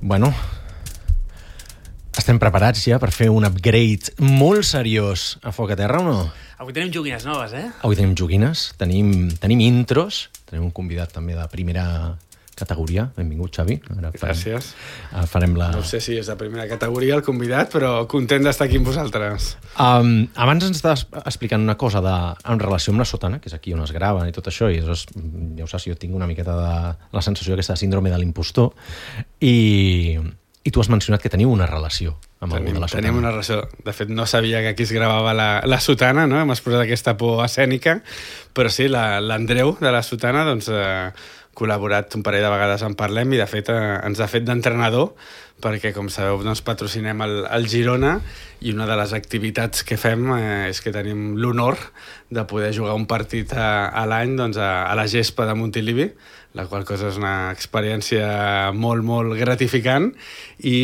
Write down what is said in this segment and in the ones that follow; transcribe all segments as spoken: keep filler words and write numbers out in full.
Bueno, estem preparats ja per fer un upgrade molt seriós a Foc a Terra o no? Avui tenim joguines noves, eh? Avui tenim joguines, tenim, tenim intros, tenim un convidat també de primera categoria. Benvingut, Xavi. Ara farem, Gràcies. Farem la... No sé si és de primera categoria el convidat, però content d'estar aquí amb vosaltres. Um, abans ens estaves explicant una cosa de, en relació amb la sotana, que és aquí on es grava i tot això, i és, ja ho saps, jo tinc una miqueta de la sensació aquesta de síndrome de l'impostor, i, i tu has mencionat que teniu una relació amb tenim, algú de la sotana. Tenim una relació. De fet, no sabia que aquí es gravava la, la sotana, no? Hem exposat aquesta por escènica, però sí, l'Andreu de la sotana, doncs... Eh, col·laborat un parell de vegades en Parlem i de fet eh, ens ha fet d'entrenador perquè com sabeu doncs, patrocinem el, el Girona i una de les activitats que fem eh, és que tenim l'honor de poder jugar un partit a, a l'any doncs, a, a la gespa de Montilivi, la qual cosa és una experiència molt, molt gratificant i,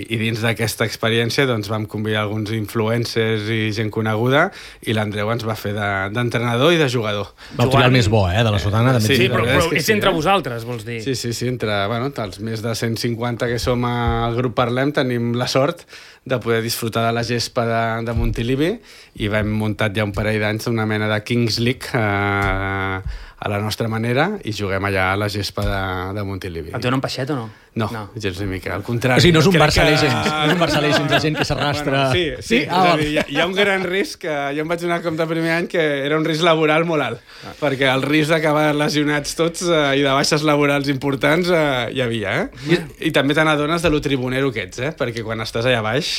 i dins d'aquesta experiència doncs, vam convidar alguns influencers i gent coneguda i l'Andreu ens va fer d'entrenador de, i de jugador. Va triar el més bo, eh, de la sotana. Eh, sí, sí, però, però és, és sí, entre eh? vosaltres, vols dir? Sí, sí, sí, entre bueno, els més de cent cinquanta que som al grup Parlem tenim la sort de poder disfrutar de la gespa de, de Montilivi i vam muntat ja un parell d'anys una mena de Kings League eh, a la nostra manera i juguem allà a la gespa de, de Montilivi. Et donen peixet o no? No, no, gens ni mica, al contrari. O sigui, no és un Barça que... Legends, no és un Barça Legends de gent que s'arrastra... Bueno, sí, sí, sí? Ah, és a dir, hi, ha, hi ha un gran risc, que jo em vaig donar compte el primer any que era un risc laboral molt alt, ah. perquè el risc d'acabar lesionats tots eh, i de baixes laborals importants eh, hi havia, eh? I, I també te n'adones de lo tribunero que ets, eh? Perquè quan estàs allà baix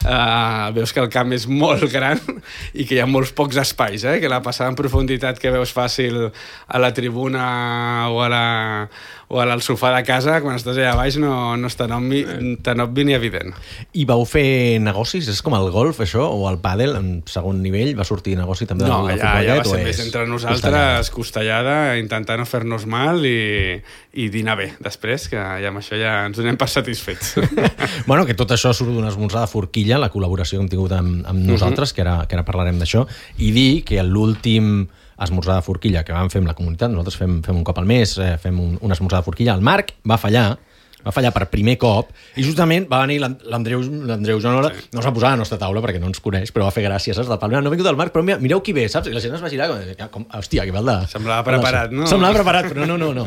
eh, veus que el camp és molt gran i que hi ha molts pocs espais, eh? Que la passada en profunditat que veus fàcil a la tribuna o a la... o al sofà de casa, quan estàs allà baix no, no és tan obvi, tan obvi ni evident. I vau fer negocis? És com el golf, això? O el pàdel, en segon nivell, va sortir negoci també no, del allà, futbolet? allà va ser és més entre nosaltres, costellada, intentant no fer-nos mal i, i dinar bé després, que ja amb això ja ens donem per satisfets. Bueno, que tot això surt d'un esmorzar de forquilla, la col·laboració que hem tingut amb, amb uh-huh. nosaltres, que ara, que ara parlarem d'això, i dir que l'últim esmorzar de forquilla que vam fer amb la comunitat, nosaltres fem, fem un cop al mes, eh, fem un, un esmorzar de forquilla, el Marc va fallar, va fallar per primer cop, i justament va venir l'Andreu l'Andreu Joanola, sí. no es va posar a la nostra taula perquè no ens coneix, però va fer gràcies, saps? Del Palmera, no ha vingut el Marc, però mira, mireu qui ve, saps? I la gent es va girar, com, hòstia, que val de... Semblava preparat, no? Semblava preparat, però no, no, no.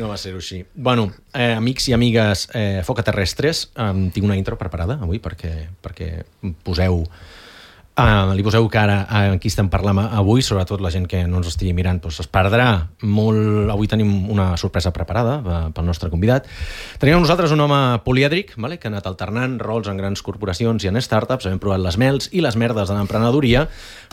No va ser-ho així. Bueno, eh, amics i amigues eh, Foc a Terrestres, eh, tinc una intro preparada avui perquè, perquè poseu... Uh, li poseu cara a qui estem parlant avui, sobretot la gent que no ens estigui mirant doncs es perdrà molt. Avui tenim una sorpresa preparada pel nostre convidat. Tenim amb nosaltres un home polièdric, vale? Que ha anat alternant rols en grans corporacions i en startups, hem provat les mels i les merdes de l'emprenedoria,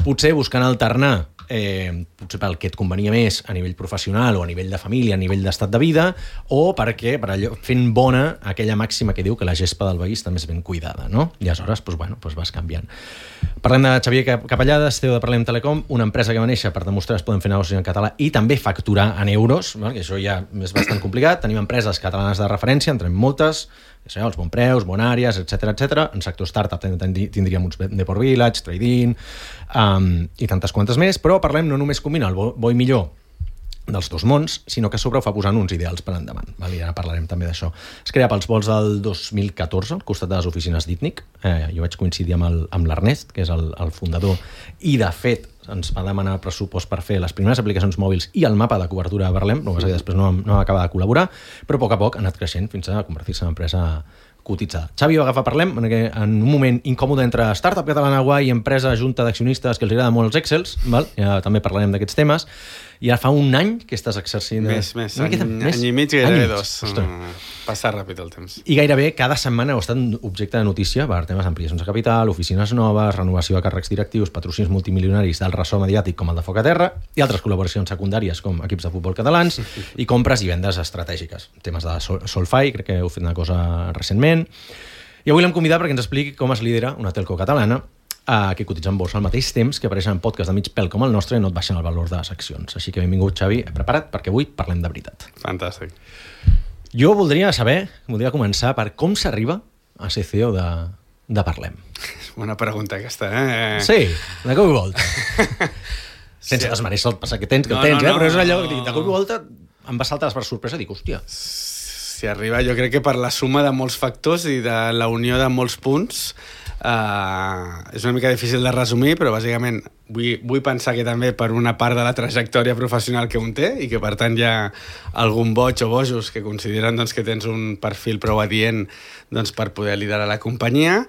potser buscant alternar eh, potser pel que et convenia més a nivell professional o a nivell de família, a nivell d'estat de vida, o perquè per allò, fent bona aquella màxima que diu que la gespa del veí també és ben cuidada, no? I aleshores doncs, bueno, doncs vas canviant. Parlem de Xavier Capellades, C E O de Parlem Telecom, una empresa que va néixer per demostrar que es poden fer negocis en català i també facturar en euros, que això ja és bastant complicat. Tenim empreses catalanes de referència, entrem moltes, els Bonpreus, Bonàries, etcètera, etcètera. En sector startup tindríem uns Deport Village, Trading um, i tantes quantes més, però parlem no només combinar el bo, bo i millor dels dos mons, sinó que a sobre ho fa posant uns ideals per endavant. Val? I ara parlarem també d'això. Es crea pels vols del dos mil catorze, al costat de les oficines d'Itnic. Eh, jo vaig coincidir amb, el, amb l'Ernest, que és el, el fundador, i de fet ens va demanar pressupost per fer les primeres aplicacions mòbils i el mapa de cobertura de Parlem, però després no, no va acabar de col·laborar, però a poc a poc ha anat creixent fins a convertir-se en empresa cotitzada. Xavi va agafar Parlem en, en un moment incòmode entre startup catalana guai i empresa junta d'accionistes que els agrada molt els Excels, val? Ja també parlarem d'aquests temes, i ara fa un any que estàs exercint... Més, més, any, més? any i mig, gairebé dos. Mm, passa ràpid el temps. I gairebé cada setmana heu estat objecte de notícia per temes d'ampliacions de capital, oficines noves, renovació de càrrecs directius, patrocins multimilionaris del ressò mediàtic com el de Foc a Terra i altres col·laboracions secundàries com equips de futbol catalans i compres i vendes estratègiques. Temes de Sol- Solfy, crec que heu fet una cosa recentment. I avui l'hem convidat perquè ens expliqui com es lidera una telco catalana Uh, que cotitza en borsa al mateix temps que apareixen en podcast de mig pèl com el nostre i no et baixen el valor de les accions. Així que benvingut, Xavi, prepara't perquè avui parlem de veritat. Fantàstic. Jo voldria saber, voldria començar per com s'arriba a ser C E O de, de Parlem. Bona pregunta aquesta, eh? Sí, de cop i volta. Sense sí. desmereixer el passat que tens, que no, el tens, no, no, eh? Però és allò que de cop i volta em va saltar per sorpresa i dic, hòstia... s'hi arriba, jo crec que per la suma de molts factors i de la unió de molts punts, Uh, és una mica difícil de resumir, però bàsicament vull, vull pensar que també per una part de la trajectòria professional que un té i que per tant hi ha algun boig o bojos que consideren doncs, que tens un perfil prou adient doncs, per poder liderar la companyia,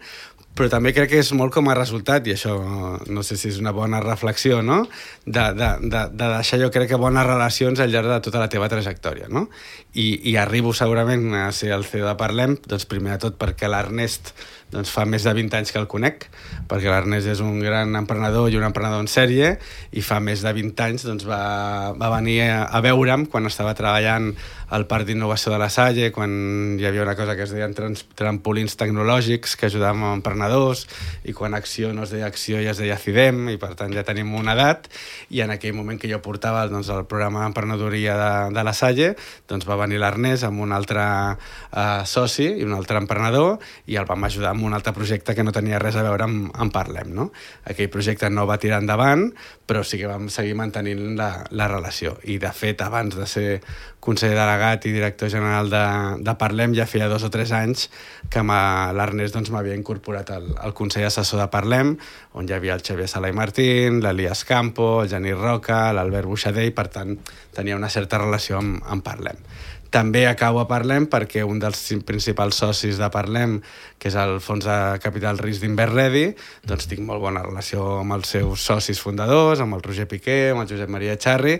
però també crec que és molt com a resultat, i això no sé si és una bona reflexió, no? de, de, de, de deixar jo crec que bones relacions al llarg de tota la teva trajectòria. No? I, I arribo segurament a ser el C E O de Parlem, doncs primer de tot perquè l'Ernest doncs fa més de vint anys que el conec, perquè l'Ernest és un gran emprenedor i un emprenedor en sèrie, i fa més de vint anys doncs, va, va venir a, a veure'm quan estava treballant al Parc d'Innovació de la Salle, quan hi havia una cosa que es deien trans, trampolins tecnològics que ajudàvem a emprenedors, i quan Acció no es deia Acció i es deia CIDEM, i per tant ja tenim una edat, i en aquell moment que jo portava doncs, el programa d'emprenedoria de, de la Salle, doncs va venir l'Ernest amb un altre eh, soci i un altre emprenedor, i el vam ajudar amb un altre projecte que no tenia res a veure amb, amb Parlem. No? Aquell projecte no va tirar endavant, però sí que vam seguir mantenint la, la relació. I, de fet, abans de ser conseller delegat i director general de, de Parlem, ja feia dos o tres anys que l'Ernest doncs, m'havia incorporat al, al Consell Assessor de Parlem, on hi havia el Xavier Sala i Martín, l'Elias Campo, el Genís Roca, l'Albert Buixader, i per tant tenia una certa relació amb, amb Parlem. També acabo a Parlem perquè un dels principals socis de Parlem, que és el Fons de Capital Risc d'Inverredi, doncs tinc molt bona relació amb els seus socis fundadors, amb el Roger Piqué, amb el Josep Maria Charri,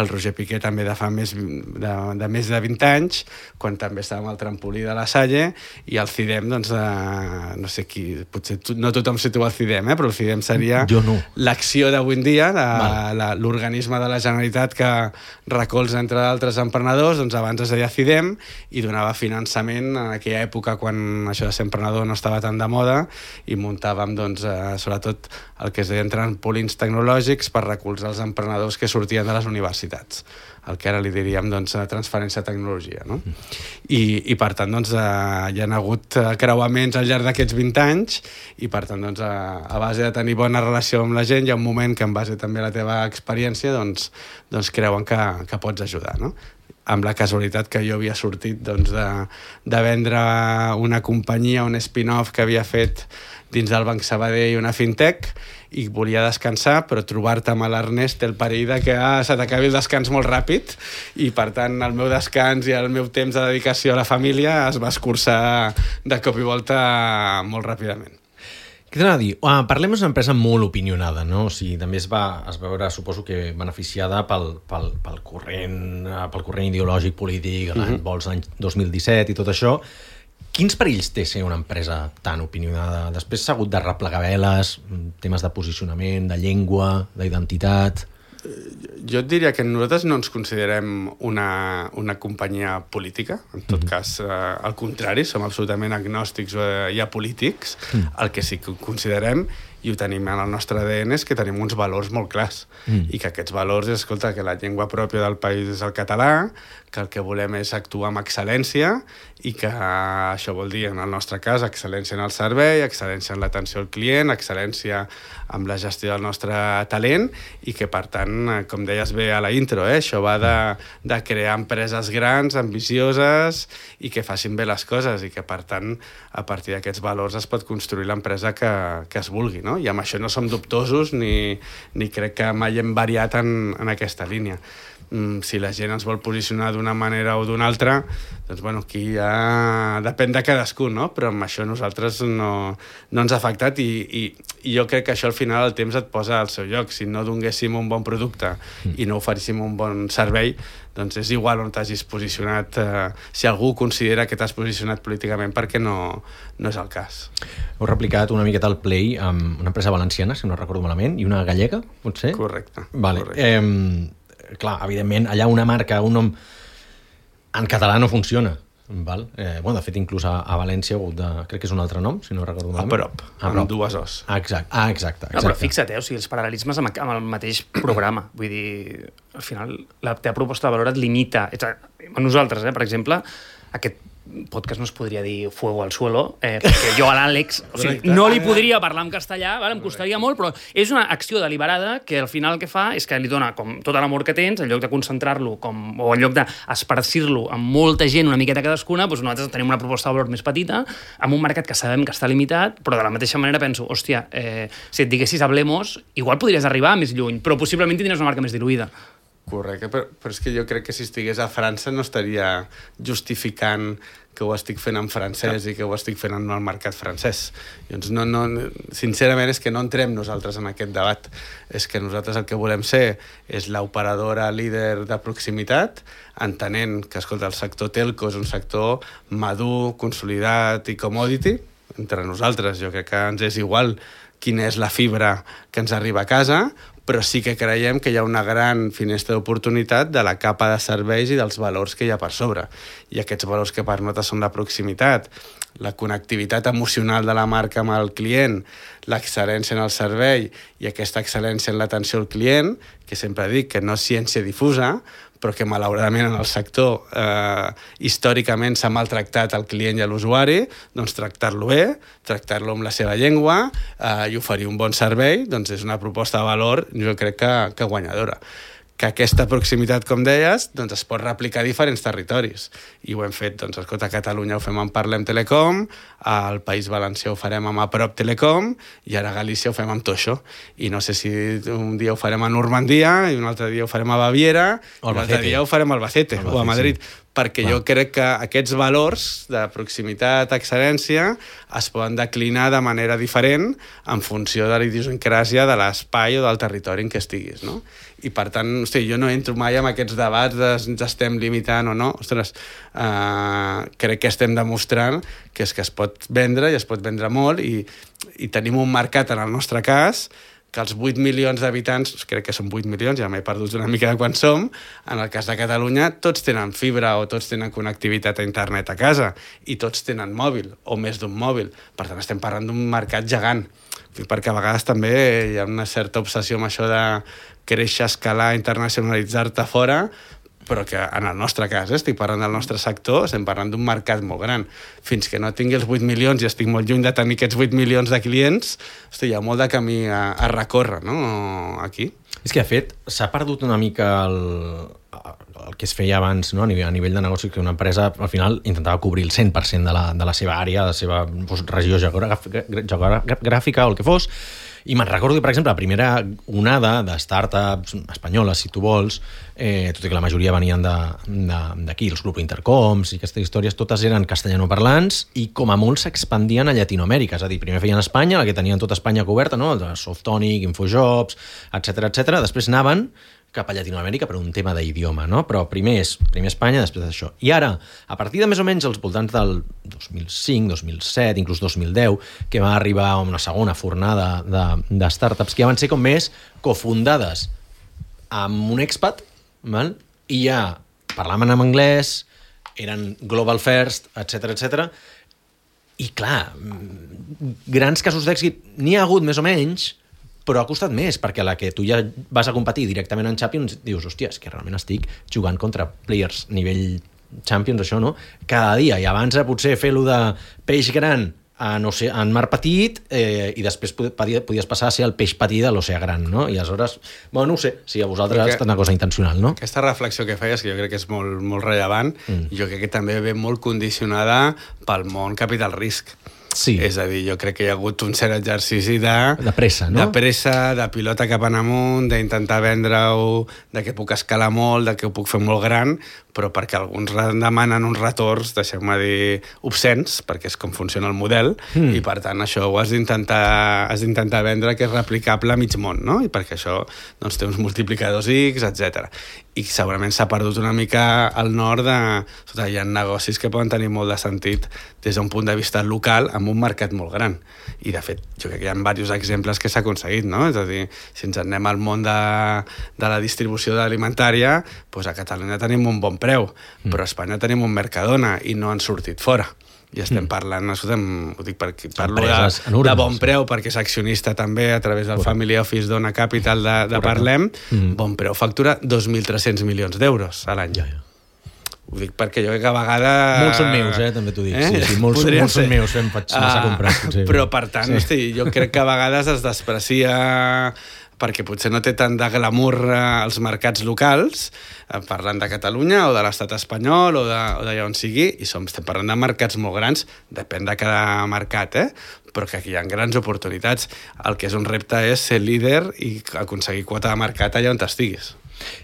el Roger Piqué també de fa més de, de més de vint anys, quan també estàvem al trampolí de la Salle, i el CIDEM, doncs, eh, no sé qui, potser tu, no tothom situa el CIDEM, eh, però el CIDEM seria no. l'acció d'avui en dia, l'organisme de la Generalitat que recolza, entre d'altres emprenedors, doncs abans es deia CIDEM, i donava finançament en aquella època quan això de ser emprenedor no estava tan de moda, i muntàvem doncs, eh, sobretot el que es deien trampolins tecnològics per recolzar els emprenedors que sortien de les universitats, el que ara li diríem doncs, transferència de tecnologia. No? I, i per tant doncs, eh, hi ha hagut creuaments al llarg d'aquests vint anys, i per tant doncs, a, a base de tenir bona relació amb la gent, hi ha un moment que en base també a la teva experiència doncs, doncs creuen que, que pots ajudar. No? Amb la casualitat que jo havia sortit doncs, de, de vendre una companyia, un spin-off que havia fet dins del Banc Sabadell, una fintech, i volia descansar, però trobar-te amb l'Ernest té el perill de que ah, se t'acabi el descans molt ràpid, i per tant el meu descans i el meu temps de dedicació a la família es va escurçar de cop i volta molt ràpidament. Què t'anava a dir? Uh, Parlem és una empresa molt opinionada, no? O sigui, també es va, es va veure, suposo que beneficiada pel, pel, pel, corrent, pel corrent ideològic polític, mm-hmm. vols l'any dos mil disset i tot això. Quins perills té ser una empresa tan opinionada? Després s'ha hagut de replegar veles, temes de posicionament, de llengua, d'identitat... Jo et diria que nosaltres no ens considerem una, una companyia política, en tot mm-hmm. cas, eh, al contrari, som absolutament agnòstics eh, i apolítics. Mm. El que sí que considerem, i ho tenim en el nostre A D N, és que tenim uns valors molt clars, mm. i que aquests valors, escolta, que la llengua pròpia del país és el català, que el que volem és actuar amb excel·lència, i que això vol dir, en el nostre cas, excel·lència en el servei, excel·lència en l'atenció al client, excel·lència amb la gestió del nostre talent, i que, per tant, com deies bé a la intro, eh, això va de, de crear empreses grans, ambicioses, i que facin bé les coses, i que, per tant, a partir d'aquests valors es pot construir l'empresa que, que es vulgui, no? I amb això no som dubtosos ni, ni crec que mai hem variat en, en aquesta línia. Mm, si la gent ens vol posicionar d'una manera o d'una altra, doncs bueno, aquí ja depèn de cadascú, no? Però amb això nosaltres no, no ens ha afectat, i, i, i jo crec que això al final el temps et posa al seu lloc. Si no donéssim un bon producte mm. i no oferíssim un bon servei, doncs és igual on t'hagis posicionat. Eh, si algú considera que t'has posicionat políticament, perquè no, no és el cas. Heu replicat una miqueta el Play amb una empresa valenciana, si no recordo malament, i una gallega, potser? Correcte. Vale. correcte. Eh, clar, evidentment, allà una marca, un nom en català no funciona. Val? Eh, bueno, de fet, inclús a, a València ha hagut de... Crec que és un altre nom, si no recordo malament. A prop, a amb prop. dues os. Ah, exacte, ah, exacte, exacte. No, però fixa't, eh? O sigui, els paral·lelismes amb, amb el mateix programa. Vull dir, al final, la teva proposta de valor et limita. A nosaltres, eh? Per exemple, aquest podcast no es podria dir Fuego al suelo, eh, perquè jo a l'Àlex o sigui, no li podria parlar en castellà, vale? Em costaria molt, però és una acció deliberada que al final el que fa és que li dona com tot l'amor que tens, en lloc de concentrar-lo com, o en lloc d'esparcir-lo amb molta gent, una miqueta cadascuna, doncs nosaltres tenim una proposta de valor més petita, amb un mercat que sabem que està limitat, però de la mateixa manera penso, hòstia, eh, si et diguessis Hablemos, igual podries arribar més lluny, però possiblement tindries una marca més diluïda. Correcte, però, però és que jo crec que si estigués a França no estaria justificant que ho estic fent en francès Clar. I que ho estic fent en el mercat francès. Llavors, no, no, sincerament és que no entrem nosaltres en aquest debat. És que nosaltres el que volem ser és l'operadora líder de proximitat, entenent que, escolta, el sector telco és un sector madur, consolidat i commodity. Entre nosaltres jo crec que ens és igual quina és la fibra que ens arriba a casa, però sí que creiem que hi ha una gran finestra d'oportunitat de la capa de serveis i dels valors que hi ha per sobre. I aquests valors que per nosaltres són la proximitat, la connectivitat emocional de la marca amb el client, l'excel·lència en el servei i aquesta excel·lència en l'atenció al client, que sempre dic que no és ciència difusa, però que malauradament en el sector eh, històricament s'ha maltractat al client i a l'usuari, doncs tractar-lo bé, tractar-lo amb la seva llengua eh, i oferir un bon servei, doncs és una proposta de valor, jo crec que, que guanyadora. Que aquesta proximitat, com deies, doncs es pot replicar a diferents territoris. I ho hem fet, doncs, escolta, a Catalunya ho fem amb Parlem Telecom, al País Valencià ho farem amb Aprop Telecom, i ara a Galícia ho fem amb Toixo. I no sé si un dia ho farem a Normandia, i un altre dia ho farem a Baviera, i un altre dia ho farem a Albacete, Albacete o a Madrid. Sí. Perquè Clar. Jo crec que aquests valors de proximitat, excel·lència, es poden declinar de manera diferent en funció de la idiosincràsia de l'espai o del territori en què estiguis, no? I per tant, hosti, jo no entro mai en aquests debats de ens estem limitant o no. Ostres, eh, crec que estem demostrant que és que es pot vendre i es pot vendre molt i, i tenim un mercat, en el nostre cas, que els vuit milions d'habitants, crec que són vuit milions, ja m'he perdut una mica de quan som, en el cas de Catalunya tots tenen fibra o tots tenen connectivitat a internet a casa i tots tenen mòbil o més d'un mòbil. Per tant, estem parlant d'un mercat gegant, perquè a vegades també hi ha una certa obsessió amb això de créixer, escalar, internacionalitzar-te fora, però que en el nostre cas, eh, estic parlant del nostre sector, estem parlant d'un mercat molt gran. Fins que no tingui els vuit milions i estic molt lluny de tenir aquests vuit milions de clients, hosti, hi ha molt de camí a, a recórrer, no?, aquí. És que, de fet, s'ha perdut una mica el, el que es feia abans, no?, a nivell, a nivell de negoci, que una empresa, al final, intentava cobrir el cent per cent de la, de la seva àrea, de la seva doncs, regió geogràfica, geogràfica o el que fos. I me'n recordo que, per exemple, la primera onada de startups espanyoles, si tu vols, eh, tot i que la majoria venien d'aquí, els grups Intercoms i aquestes històries, totes eren castellanoparlants i com a molt s'expandien a Llatinoamèrica. És a dir, primer feien Espanya, la que tenien tota Espanya coberta, no? Softonic, Infojobs, etcètera, etcètera. Després anaven cap a Llatinoamèrica per un tema d'idioma, no? Però primer és primer Espanya, després d'això. I ara, a partir de més o menys els voltants del dos mil cinc, dos mil set, inclús dos mil deu, que va arribar a una segona fornada de, de startups que ja van ser com més cofundades amb un expat, val? I ja parlaven en anglès, eren global first, etcètera, etcètera. I clar, grans casos d'èxit n'hi ha hagut més o menys, però ha costat més, perquè a la que tu ja vas a competir directament en Champions, dius, hòstia, és que realment estic jugant contra players nivell Champions, això, no? Cada dia, i abans potser fer-lo de peix gran a, no sé, en mar petit, eh, i després podies passar a ser el peix petit de l'oceà gran, no? I aleshores, bueno, no ho sé, si a vosaltres ha estat una cosa intencional, no? Aquesta reflexió que feies, que jo crec que és molt, molt rellevant, mm. jo crec que també ve molt condicionada pel món capital risc. Sí. És a dir, jo crec que hi ha hagut un cert exercici de... De pressa, no? De pressa, de pilota cap en amunt, d'intentar vendre-ho, de que puc escalar molt, de que ho puc fer molt gran, però perquè alguns demanen uns retorns, deixeu-me dir, obscens, perquè és com funciona el model, mm. i per tant això ho has d'intentar has d'intentar vendre que és replicable a mig món, no? I perquè això doncs, té uns multiplicadors X, etcètera. I segurament s'ha perdut una mica al nord de... Escolta, hi ha negocis que poden tenir molt de sentit des d'un punt de vista local amb un mercat molt gran. I, de fet, jo crec que hi ha diversos exemples que s'ha aconseguit, no? És a dir, si ens anem al món de, de la distribució alimentària, doncs a Catalunya tenim un bon preu, mm. però a Espanya tenim un Mercadona i no han sortit fora. I estem parlant, escolta'm, ho dic perquè parlo de, de bon preu, perquè és accionista també a través del Family Office Dona Capital de, de Parlem, mm. bon preu factura dos mil tres-cents milions d'euros a l'any. Ja, ja. Ho dic perquè jo crec que a vegades... Molts són meus, eh, també t'ho dic. Eh? Sí, sí, molts, molts són meus, em faig massa uh, comprar. Potser. Però, per tant, sí. hosti, jo crec que a vegades es desprecia perquè potser no té tant de glamour als mercats locals, eh, parlant de Catalunya o de l'estat espanyol o d'allà on sigui, i som, estem parlant de mercats molt grans, depèn de cada mercat, eh? Però que aquí hi ha grans oportunitats. El que és un repte és ser líder i aconseguir quota de mercat allà on estiguis.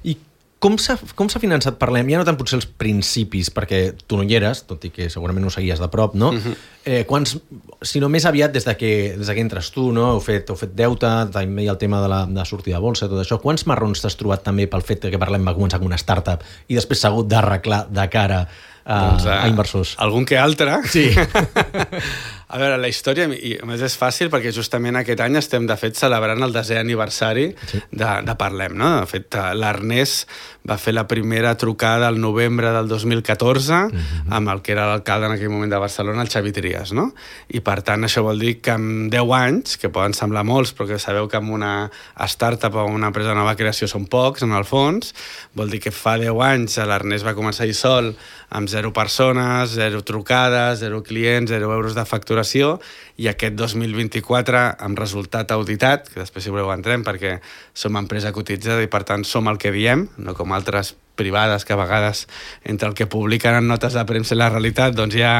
I com s'ha com s'ha finançat, parlem, ja no tant potser els principis, perquè tu no hi eres, tot i que segurament ho seguies de prop, no? Uh-huh. eh, quants, sinó més aviat des de que, des de que entres tu, no? Heu fet, heu fet deute, també hi ha el tema de la de sortida de bolsa, tot això. Quants marrons t'has trobat també pel fet que parlem va començar com una startup i després s'ha hagut d'arreglar de cara a, doncs, a, a inversors? Algun que altre. Sí. A veure, la història, i a més és fàcil perquè justament aquest any estem, de fet, celebrant el desè aniversari sí. de, de Parlem, no? De fet, l'Ernest va fer la primera trucada al novembre del dos mil catorze uh-huh. amb el que era l'alcalde en aquell moment de Barcelona, el Xavi Trias, no? I, per tant, això vol dir que en deu anys, que poden semblar molts, però que sabeu que en una startup o una empresa de nova creació són pocs, en el fons, vol dir que fa deu anys l'Ernest va començar a ir sol amb zero persones, zero trucades, zero clients, zero euros de facturació, i aquest dos mil vint-i-quatre, amb resultat auditat, que després si voleu entrem perquè som empresa cotitzada i per tant som el que diem, no com altres privades que a vegades entre el que publiquen en notes de premsa i la realitat doncs hi ha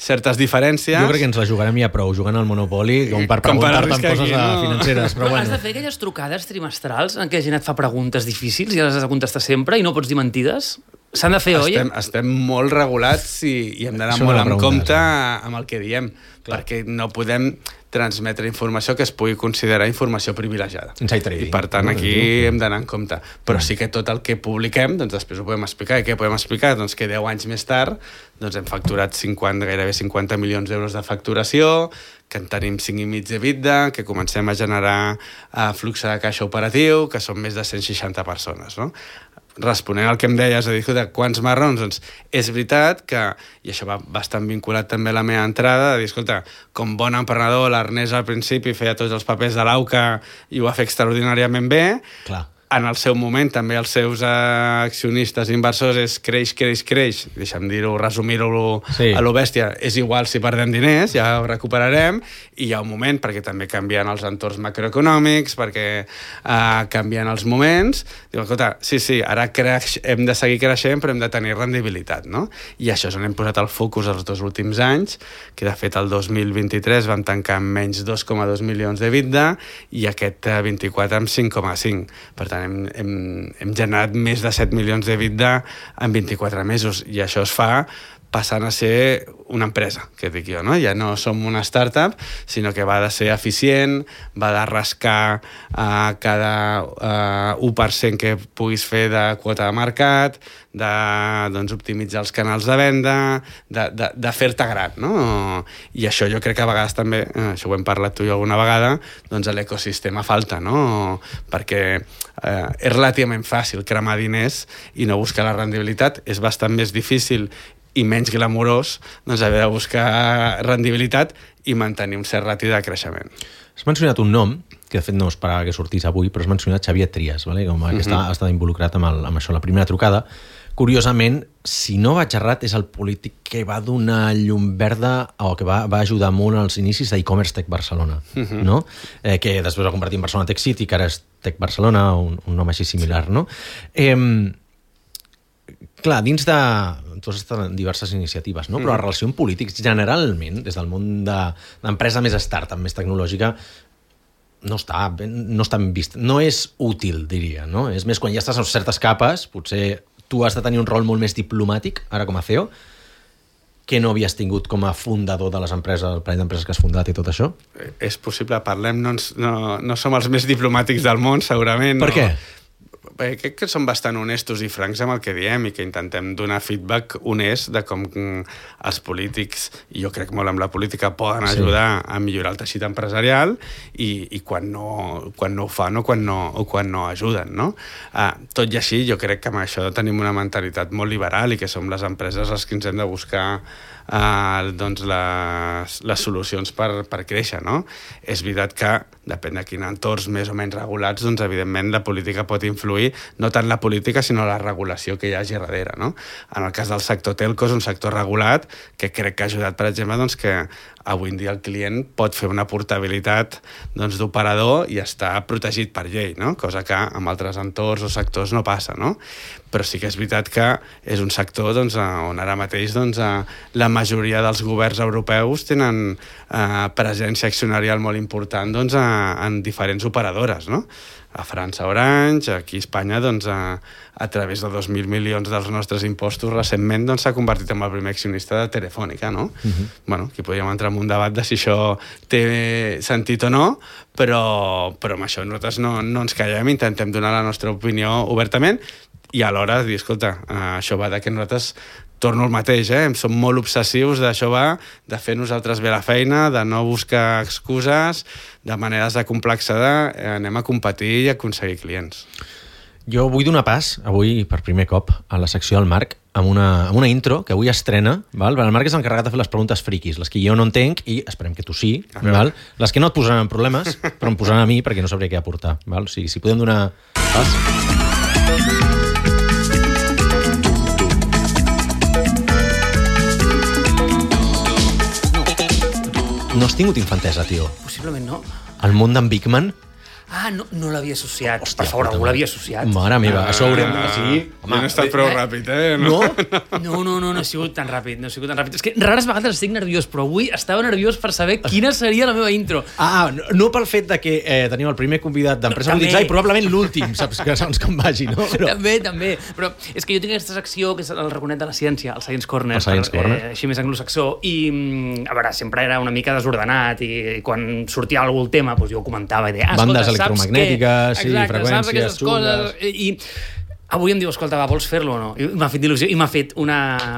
certes diferències. Jo crec que ens la jugarem ja prou, jugant al Monopoli, com per preguntar-te en coses aquí, no? financeres. Però, però bueno. Has de fer aquelles trucades trimestrals en què la gent et fa preguntes difícils i les has de contestar sempre i no pots dir mentides? S'han de fer, oi? Estem, estem molt regulats i, i hem d'anar molt en compte amb el que diem, clar. Perquè no podem transmetre informació que es pugui considerar informació privilegiada. Inside trading. I per tant aquí hem d'anar en compte. Però sí que tot el que publiquem, doncs després ho podem explicar. I què podem explicar? Doncs que deu anys més tard doncs hem facturat cinquanta, gairebé cinquanta milions d'euros de facturació, que en tenim cinc i mig d'EBITDA, que comencem a generar uh, flux de caixa operatiu, que són més de cent seixanta persones, no? Responent al que em deies, a dir, de quants marrons, doncs és veritat que, i això va bastant vinculat també a la meva entrada, de dir, escolta, com bon emprenedor, l'Ernest al principi feia tots els papers de l'AUCA i ho va fer extraordinàriament bé. Clar. En el seu moment, també els seus accionistes inversors és creix, creix, creix. Deixa'm dir-ho, resumir-ho sí. a lo bèstia. És igual si perdem diners, ja ho recuperarem. I hi ha un moment, perquè també canvien els entorns macroeconòmics, perquè uh, canvien els moments. Diu, escolta, sí, sí, ara creix, hem de seguir creixent, però hem de tenir rendibilitat, no? I això és on hem posat el focus els dos últims anys, que de fet el dos mil vint-i-tres vam tancar amb menys dos coma dos milions d'EBITDA i aquest uh, vint-i-quatre amb cinc coma cinc. Per tant, Hem, hem, hem generat més de set milions d'EBITDA en vint-i-quatre mesos i això es fa passant a ser una empresa, que dic jo, no? Ja no som una startup, sinó que va de ser eficient, va de rascar uh, cada uh, u per cent que puguis fer de quota de mercat, de doncs, optimitzar els canals de venda, de, de, de fer-te gran, no? I això jo crec que a vegades també, eh, això ho hem parlat tu i jo alguna vegada, doncs l'ecosistema falta, no? Perquè eh, és relativament fàcil cremar diners i no buscar la rendibilitat, és bastant més difícil i menys glamurós doncs haver de buscar rendibilitat i mantenir un cert ràtio de creixement. Has mencionat un nom, que de fet no esperava que sortís avui, però has mencionat Xavier Trias, vale? Com que uh-huh. està, ha estat involucrat amb, el, amb això, la primera trucada. Curiosament, si no vaig errat, és el polític que va donar llum verda o que va, va ajudar molt als inicis d'e-commerce Tech Barcelona, uh-huh. no? Eh, que després va convertir en Barcelona Tech City, que ara és Tech Barcelona, un, un nom així similar, no? Eh, clar, dins de... Tu has estat en diverses iniciatives, no? Però la relació amb polítics, generalment, des del món de, d'empresa més startup, més tecnològica, no està, no està ben vist. No és útil, diria, no? És més, quan ja estàs a certes capes, potser tu has de tenir un rol molt més diplomàtic, ara com a C E O, que no havies tingut com a fundador de les empreses, el parell d'empreses que has fundat i tot això? És possible, parlem, no, ens, no, no som els més diplomàtics del món, segurament. Per no. què? Crec que som bastant honestos i francs amb el que diem i que intentem donar feedback honest de com els polítics, i jo crec molt amb la política, poden ajudar sí. a millorar el teixit empresarial i, i quan, no, quan no ho fan o quan no, o quan no ajuden, no? Uh, tot i així, jo crec que amb això tenim una mentalitat molt liberal i que som les empreses les que ens hem de buscar uh, doncs les, les solucions per, per créixer, no? És veritat que, depèn de quin entorns més o menys regulats, doncs evidentment la política pot influir influir no tant la política, sinó la regulació que hi hagi darrere, no? En el cas del sector telco és un sector regulat que crec que ha ajudat, per exemple, doncs, que avui en dia el client pot fer una portabilitat doncs, d'operador i està protegit per llei, no? Cosa que en altres entorns o sectors no passa, no? Però sí que és veritat que és un sector doncs, on ara mateix doncs, la majoria dels governs europeus tenen eh, presència accionarial molt important doncs, en diferents operadores, no? A França Orange, aquí a Espanya doncs, a, a través de dos mil milions dels nostres impostos recentment doncs, s'ha convertit en el primer accionista de Telefònica, no? Uh-huh. Bueno, aquí podríem entrar en un debat de si això té sentit o no, però, però amb això nosaltres no, no ens callem, intentem donar la nostra opinió obertament i alhora dir, escolta, això va de que nosaltres torno al mateix, eh? Som molt obsessius d'això va, de fer nosaltres bé la feina, de no buscar excuses, de maneres de complexar, eh, anem a competir i a aconseguir clients. Jo vull donar pas, avui, per primer cop, a la secció del Marc, amb una, amb una intro que avui estrena. Val? El Marc és l'encarregat de fer les preguntes friquis, les que jo no entenc, i esperem que tu sí. Val? Les que no et posaran en problemes, però em posaran a mi perquè no sabré què aportar. Val? O sigui, si podem donar pas... No has tingut infantesa, tio. Possiblement no. El món d'en Bigman? Ah, no, no l'havia associat. Hòstia, per favor, algú l'havia associat. Mare meva, això haurem... Ah, sí. Home, no he estat prou eh? ràpid, eh? No? No, no, no, no ha sigut tan ràpid, no ha sigut tan ràpid. És que rares vegades estic nerviós, però avui estava nerviós per saber quina seria la meva intro. Ah, no, no pel fet de que eh, tenim el primer convidat d'Empresa Polititzar i probablement l'últim, saps? Que segons com vagi, no? Però... També, també. Però és que jo tinc aquesta secció, que és el raconet de la ciència, el Science Corner. El Science Corner. Eh, així més anglosaxó. I, a veure, sempre era una mica desordenat i, i quan sortia algú el tema, doncs jo ho comentava i deia, ah, bandes escolta, electromagnètiques, sí, exacte, freqüències, saps aquestes xungues. coses. I avui em diu, escolta, va, vols fer-lo o no? I m'ha fet il·lusió i m'ha fet una,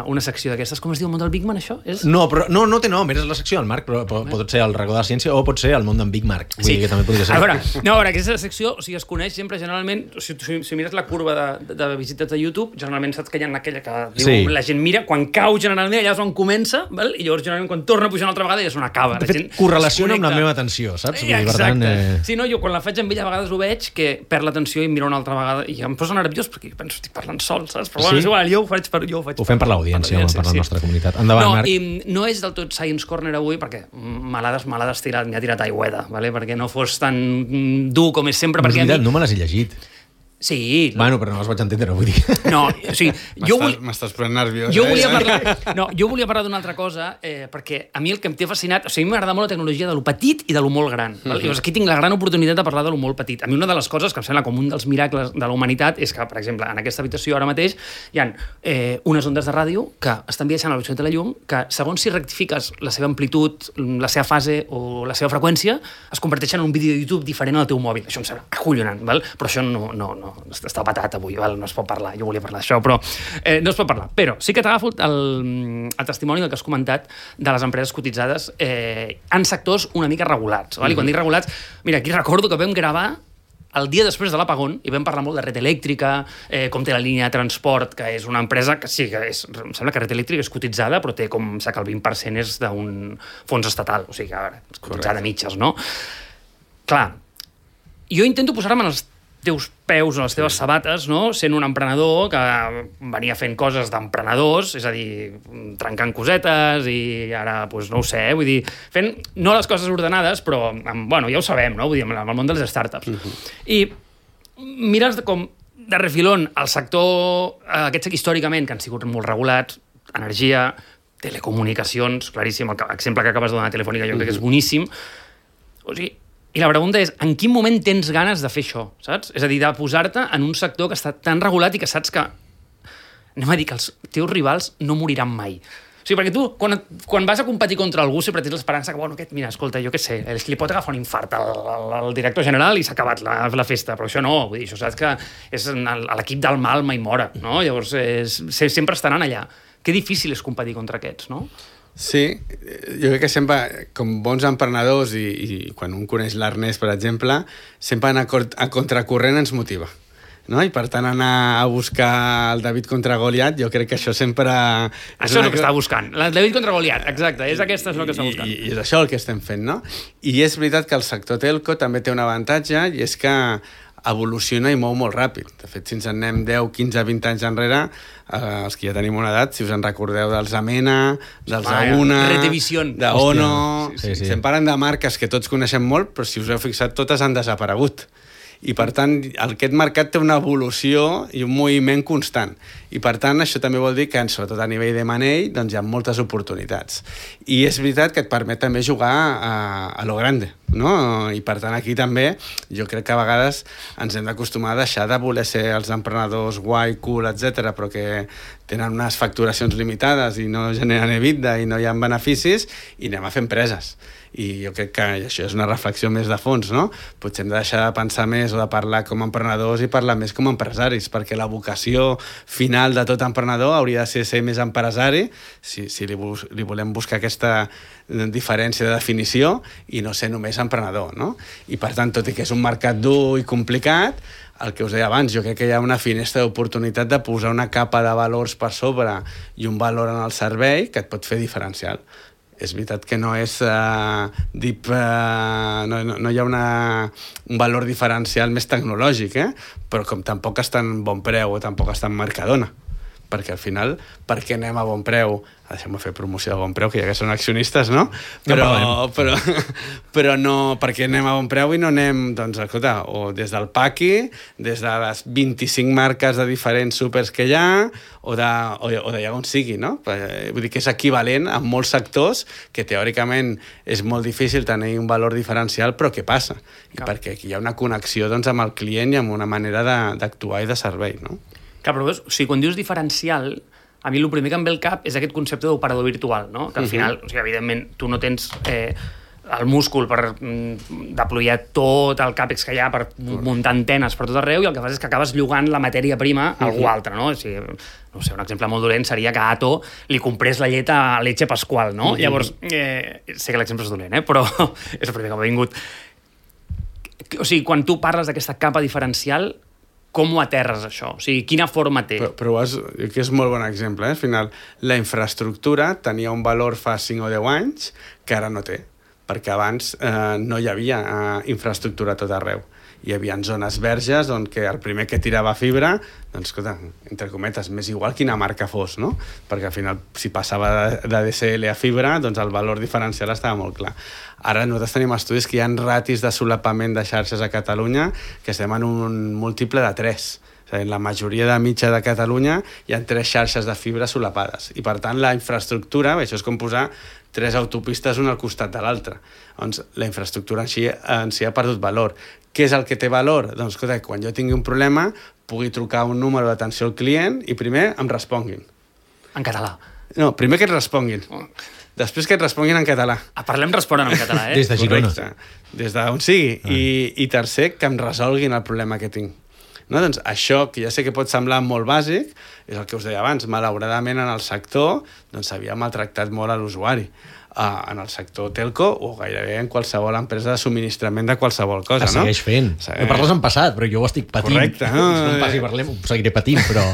una secció d'aquestes. Com es diu el món del Big Man, això? És... No, però no, no té nom, és la secció del Marc, però, però pot ser el racó de la ciència o pot ser el món d'en Big Marc. Vull sí. dir que també podria ser. A veure, no, a veure, aquesta secció, o sigui, es coneix sempre generalment, si, si, si mires la curva de, de, de visites de YouTube, generalment saps que hi ha aquella que diu, sí. La gent mira, quan cau generalment, allà és on comença, val? I llavors generalment quan torna a pujar una altra vegada ja és on acaba. De fet, correlaciona amb la meva atenció, saps? Eh, exacte. Per tant, eh... Sí, no, jo quan la faig amb ell a vegades ho veig, que perd l'atenció i em mira una altra vegada i em posa nerviós perquè penso, estic parlant sol, saps? Però bueno, sí? És igual, jo ho faig per, jo ho faig ho fem per l'audiència, per, per la sí. nostra comunitat. Endavant, no, Marc. I no és del tot Science Corner avui, perquè malades, malades tirat, m'ha tirat aigüeda, ¿vale? Perquè no fos tan dur com és sempre. No, perquè veritat, mi... no me les he llegit. Sí. Bueno, però no les vaig entendre, vull dir. No, o sigui, jo vull... M'estàs prenent nerviós, jo eh? volia parlar... No, jo volia parlar d'una altra cosa, eh, perquè a mi el que em té fascinat... O sigui, m'agrada molt la tecnologia de lo petit i de lo molt gran. Mm-hmm. Llavors, aquí tinc la gran oportunitat de parlar de lo molt petit. A mi una de les coses que em sembla com un dels miracles de la humanitat és que, per exemple, en aquesta habitació ara mateix hi ha eh, unes ondes de ràdio que estan viatjant a la velocitat de la llum, que segons si rectifiques la seva amplitud, la seva fase o la seva freqüència, es converteixen en un vídeo de YouTube diferent al teu mòbil. Això em sembla acollonant, val? Però això no, no, no està patat avui, val? No es pot parlar, jo volia parlar d'això, però eh, no es pot parlar. Però sí que t'agafo el, el testimoni del que has comentat de les empreses cotitzades eh, en sectors una mica regulats. Val? I quan dic regulats, mira, aquí recordo que vam gravar el dia després de l'apagón i vam parlar molt de Red Elèctrica, eh, com té la línia de transport, que és una empresa que sí, que és, em sembla que Red Elèctrica és cotitzada, però té com, sé que el vint per cent és d'un fons estatal, o sigui que ara, és cotitzada a mitges, no? Clar, jo intento posar-me en els teus peus o les teves sabates, no? Sent un emprenedor que venia fent coses d'emprenedors, és a dir, trencant cosetes i ara, doncs, no ho sé, vull dir, fent no les coses ordenades, però, amb, bueno, ja ho sabem, no? Vull dir, amb el món de les startups. Uh-huh. I mires com de refilón el sector, aquests que històricament, que han sigut molt regulats, energia, telecomunicacions, claríssim, l'exemple que acabes de donar, Telefònica, jo uh-huh. crec que és boníssim. O sigui, i la pregunta és, en quin moment tens ganes de fer això, saps? És a dir, de posar-te en un sector que està tan regulat i que saps que, anem a dir, que els teus rivals no moriran mai. O sigui, perquè tu, quan, quan vas a competir contra algú, sempre tens l'esperança que, bueno, aquest, mira, escolta, jo què sé, és que li pot agafar un infart al, al, al director general i s'ha acabat la, la festa, però això no, vull dir, això saps que és l'equip del mal mai mora, no? Llavors, és, sempre estaran allà. Que difícil és competir contra aquests, no? Sí, jo crec que sempre, com bons emprenedors i, i quan un coneix l'Ernest, per exemple, sempre anar a contracorrent ens motiva. No? I per tant anar a buscar el David contra Goliat, jo crec que això sempre... Això és una... el que està buscant, el David contra Goliat, exacte, és aquesta és el que està buscant. I, i és això el que estem fent, no? I és veritat que el sector telco també té un avantatge i és que evoluciona i mou molt ràpid. De fet, si ens en anem deu, quinze, vint anys enrere, eh, els que ja tenim una edat, si us en recordeu dels Amena, dels Auna, d'Ono... Sí, sí, sí. Estem parlant de marques que tots coneixem molt, però si us heu fixat, totes han desaparegut. I, per tant, aquest mercat té una evolució i un moviment constant. I, per tant, això també vol dir que, sobretot a nivell de manell, doncs hi ha moltes oportunitats. I és veritat que et permet també jugar a, a lo grande, no? I, per tant, aquí també jo crec que a vegades ens hem d'acostumar a deixar de voler ser els emprenedors guai, cool, etcètera, però que tenen unes facturacions limitades i no generen EBITDA i no hi ha beneficis, i anem a fer empreses. I jo crec que això és una reflexió més de fons, no? Potser hem de deixar de pensar més o de parlar com a emprenedors i parlar més com a empresaris, perquè la vocació final de tot emprenedor hauria de ser ser més empresari, si, si li, li volem buscar aquesta diferència de definició, i no ser només emprenedor, no? I per tant, tot i que és un mercat dur i complicat, el que us deia abans, jo crec que hi ha una finestra d'oportunitat de posar una capa de valors per sobre i un valor en el servei que et pot fer diferencial. És veritat que no és uh, deep, uh, no, no, no hi ha una, un valor diferencial més tecnològic, eh? Però com tampoc està en bon preu o tampoc està en Mercadona, perquè al final, per què anem a bon preu? Deixem-me fer promoció de bon preu, que ja que són accionistes, no? Però, no però, però no, per què anem a bon preu i no anem, doncs, escolta, o des del Paqui, des de les vint-i-cinc marques de diferents súpers que hi ha, o de, o, o d'allà on sigui, no? Vull dir que és equivalent en molts sectors que teòricament és molt difícil tenir un valor diferencial, però què passa? I perquè aquí hi ha una connexió, doncs, amb el client i amb una manera d'actuar i de servei, no? Clar, però veus, o sigui, quan dius diferencial, a mi el primer que em ve al cap és aquest concepte d'operador virtual, no? Que al final, uh-huh. o sigui, evidentment, tu no tens eh, el múscul per mm, deployar tot el càpex que hi ha per uh-huh. muntar antenes per tot arreu, i el que fas és que acabes llogant la matèria prima a uh-huh. algú altre, no? O sigui, no sé, un exemple molt dolent seria que Ato li comprés la llet a Leche Pascual, no? Uh-huh. Llavors, eh, sé que l'exemple és dolent, eh? Però és el primer que m'ha vingut. O sigui, quan tu parles d'aquesta capa diferencial, com ho aterres, això? O sigui, quina forma té? Però, però és, que és molt bon exemple, eh? Al final, la infraestructura tenia un valor fa cinc o deu anys que ara no té, perquè abans eh, no hi havia eh, infraestructura a tot arreu. Hi havia zones verges on que el primer que tirava fibra, doncs, escolta, entre cometes, més igual quina marca fos, no? Perquè al final, si passava de, de D S L a fibra, doncs el valor diferencial estava molt clar. Ara nosaltres tenim estudis que hi ha ratis de solapament de xarxes a Catalunya que estem en un múltiple de tres. En la majoria de mitja de Catalunya hi ha tres xarxes de fibra solapades. I, per tant, la infraestructura, això és com posar tres autopistes una al costat de l'altra. Doncs la infraestructura en si, en si ha perdut valor. Què és el que té valor? Doncs, escolta, quan jo tingui un problema, pugui trucar un número d'atenció al client i primer em responguin. En català? No, primer que et responguin. Oh. Després que et responguin en català. Ah, parlem responen en català, eh? Des de Girona. Correcte. Des d'on sigui. Ah. I, I tercer, que em resolguin el problema que tinc. No? Doncs això, que ja sé que pot semblar molt bàsic, és el que us deia abans. Malauradament, en el sector doncs, s'havia maltractat molt a l'usuari. Uh, en el sector telco o gairebé en qualsevol empresa de subministrament de qualsevol cosa, es segueix no? fent. Segueix. No parles en passat, però jo ho estic patint. Correcte. No, no em passi parlem, ho seguiré patint, però...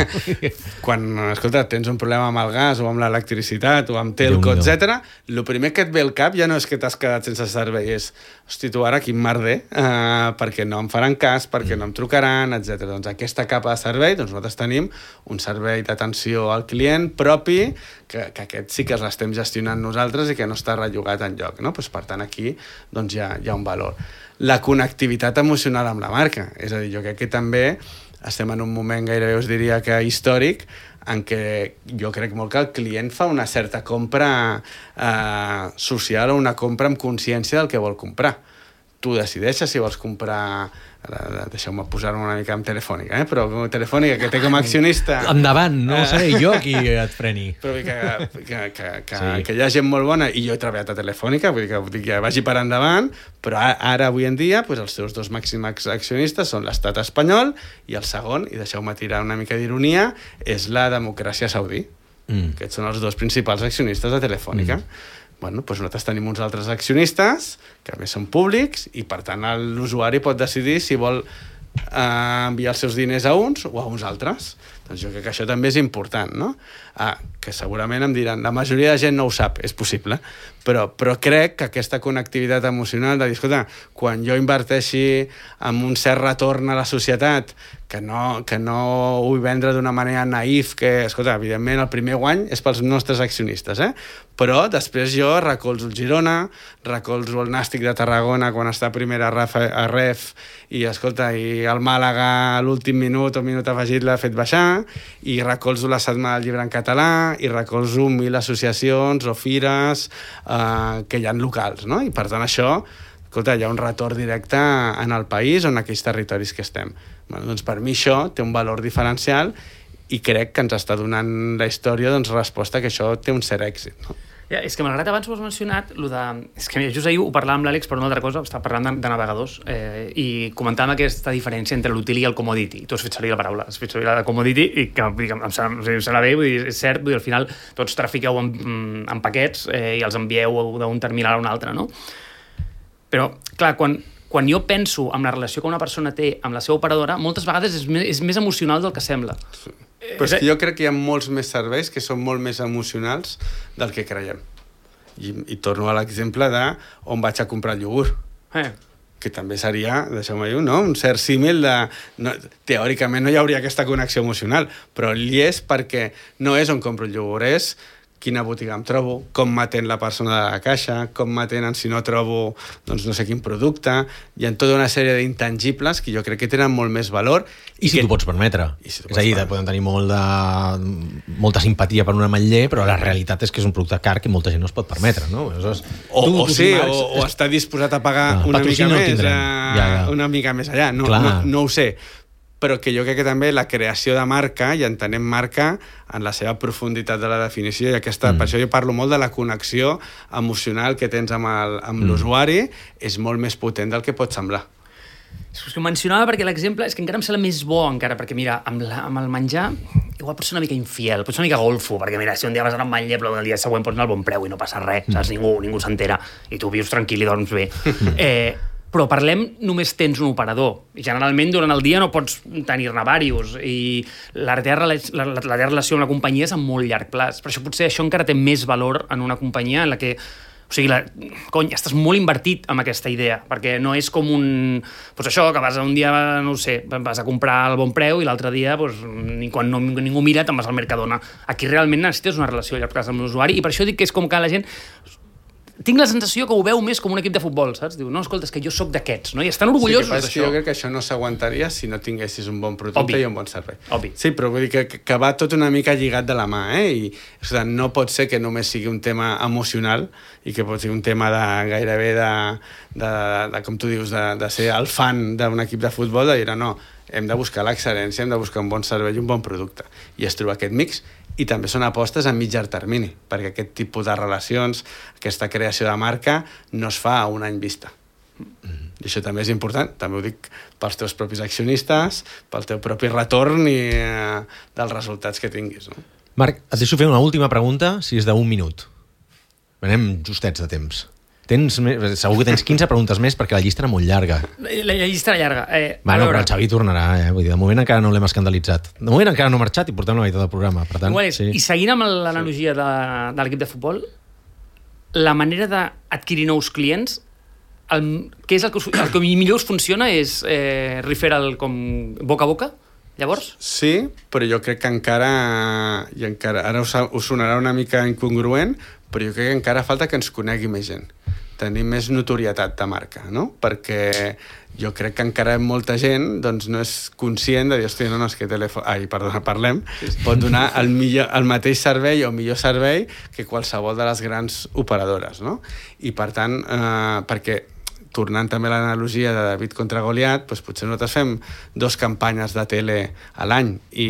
Quan, escolta, tens un problema amb el gas o amb l'electricitat o amb telco, etcètera, el primer que et ve al cap ja no és que t'has quedat sense servei, és, hosti, tu ara quin merder, uh, perquè no em faran cas, perquè mm. no em trucaran, etcètera. Doncs aquesta capa de servei, doncs nosaltres tenim un servei d'atenció al client propi, que, que aquest sí que l'estem gestionant nosaltres i que no està rellogat enlloc, no? Pues, per tant, aquí doncs, hi, ha, hi ha un valor. La connectivitat emocional amb la marca. És a dir, jo crec que també estem en un moment gairebé, us diria que històric, en què jo crec molt que el client fa una certa compra eh, social o una compra amb consciència del que vol comprar. Tu decideixes si vols comprar... Deixeu-me posar-me una mica amb Telefònica, eh? Però Telefònica, que té com a accionista... Endavant, no seré jo qui et freni. Però que, que, que, que, sí. que hi ha gent molt bona, i jo he treballat a Telefònica, vull dir que, vull dir que vagi per endavant, però ara, avui en dia, doncs, els seus dos màxims accionistes són l'estat espanyol, i el segon, i deixeu-me tirar una mica d'ironia, és la democràcia saudí. Mm. Aquests són els dos principals accionistes de Telefònica. Mm. Bueno, doncs nosaltres tenim uns altres accionistes que a més són públics i per tant l'usuari pot decidir si vol eh, enviar els seus diners a uns o a uns altres. Doncs jo crec que això també és important, no? Ah, que segurament em diran, la majoria de gent no ho sap, és possible, però, però crec que aquesta connectivitat emocional de dir, escolta, quan jo inverteixi en un cert retorn a la societat, que no, que no ho vull vendre d'una manera naïf, que, escolta, evidentment el primer guany és pels nostres accionistes, eh? Però després jo recolzo el Girona, recolzo el Nàstic de Tarragona quan està a primera a ref, i, escolta, i el Màlaga a l'últim minut o minut afegit l'ha fet baixar, i recolzo la Setmana del Llibre en català, i recolzo mil associacions o fires eh, que hi ha locals, no? I per tant això, escolta, hi ha un retorn directe en el país o en aquells territoris que estem. Bueno, doncs per mi això té un valor diferencial i crec que ens està donant la història doncs, resposta que això té un cert èxit, no? Ja, és que malgrat abans ho has mencionat, lo de... és que just ahir ho parlàvem amb l'Àlex per una altra cosa, estava parlant de, de navegadors eh, i comentàvem aquesta diferència entre l'util i el commodity. Tu has fet servir la paraula, has fet servir la commodity i que em, em, sembla, em sembla bé, vull dir, és cert, vull dir, al final tots trafiqueu en, en paquets eh, i els envieu d'un terminal a un altre, no? Però, clar, quan, quan jo penso en la relació que una persona té amb la seva operadora, moltes vegades és més, és més emocional del que sembla. Sí. Però és que jo crec que hi ha molts més serveis que són molt més emocionals del que creiem. I, i torno a l'exemple de on vaig a comprar el iogurt. Eh. Que també seria, deixeu-me dir, no? Un cert símil de... No, teòricament no hi hauria aquesta connexió emocional, però hi és perquè no és on compro el iogurt, és quina botiga em trobo, com m'atén la persona de la caixa, com m'atenen si no trobo doncs no sé quin producte. Hi ha tota una sèrie d'intangibles que jo crec que tenen molt més valor. I, I si que... t'ho pots permetre. Si és a dir, poden tenir molt de... molta simpatia per un ametller, però la realitat és que és un producte car que molta gent no es pot permetre, no? Aleshores, o, tu, o, sí, o, o està disposat a pagar no, una mica no més, a... ja, ja. una mica més allà. No, no, no ho sé. Però que jo crec que també la creació de marca, i entenem marca en la seva profunditat de la definició, i aquesta, mm. per això jo parlo molt de la connexió emocional que tens amb, el, amb mm. l'usuari, és molt més potent del que pot semblar. És que ho mencionava perquè l'exemple és que encara em sembla més bo, encara, perquè mira, amb, la, amb el menjar igual pots ser una mica infiel, pots ser una mica golfo, perquè mira, si un dia vas anar amb ametller, però el dia següent pots anar al bon preu i no passa res, mm. saps? Ningú, ningú s'entera, i tu vius tranquil i dorms bé. eh, Però parlem, només tens un operador. I generalment durant el dia no pots tenir-ne diversos. I la teva, la, la, la teva relació amb la companyia és a molt llarg plaç. Per això potser això encara té més valor en una companyia en la que... O sigui, la, cony, estàs molt invertit amb aquesta idea, perquè no és com un... Doncs això, que vas un dia, no ho sé, vas a comprar al bon preu i l'altre dia, doncs, quan no, ningú mira, te'n vas al Mercadona. Aquí realment necessites una relació a llarg plaç amb l'usuari i per això dic que és com que la gent... Tinc la sensació que ho veu més com un equip de futbol, saps? Diu, no, escolta, és que jo sóc d'aquests, no? I estan orgullosos sí, d'això. Jo crec que això no s'aguantaria si no tinguessis un bon producte Obvi. I un bon servei. Obvi. Sí, però vull dir que, que va tot una mica lligat de la mà, eh? I o sigui, no pot ser que només sigui un tema emocional i que pot ser un tema de gairebé de, de, de, de com tu dius, de, de ser el fan d'un equip de futbol, de dir, no, hem de buscar l'excel·lència, hem de buscar un bon servei i un bon producte. I es troba aquest mix. I també són apostes a mitjà termini, perquè aquest tipus de relacions, aquesta creació de marca, no es fa a un any vista. Mm-hmm. I això també és important, també ho dic pels teus propis accionistes, pel teu propi retorn i eh, dels resultats que tinguis. No? Marc, et deixo fer una última pregunta, si és d'un minut. Anem justets de temps. Tens, segur que tens quinze preguntes més perquè la llista era molt llarga. La, la llista era llarga. Eh, bueno, però el Xavi tornarà, eh? Vull dir, de moment encara no l'hem escandalitzat. De moment encara no ha marxat i portem la meitat del programa. Per tant, és, sí. I seguint amb l'analogia de, de l'equip de futbol, la manera d'adquirir nous clients, el, què és el que, el que millor us funciona és eh, referral com boca a boca? Llavors? Sí, però jo crec que encara, i encara ara us, us sonarà una mica incongruent, però jo crec que encara falta que ens conegui més gent, tenir més notorietat de marca, no? Perquè jo crec que encara molta gent doncs, no és conscient de dir, hòstia, no, no, és que telèfon... Ai, perdona, parlem. Pot donar el, millor, el mateix servei o millor servei que qualsevol de les grans operadores, no? I per tant, eh, perquè tornant també a l'analogia de David contra Goliat, doncs potser nosaltres fem dos campanyes de tele a l'any i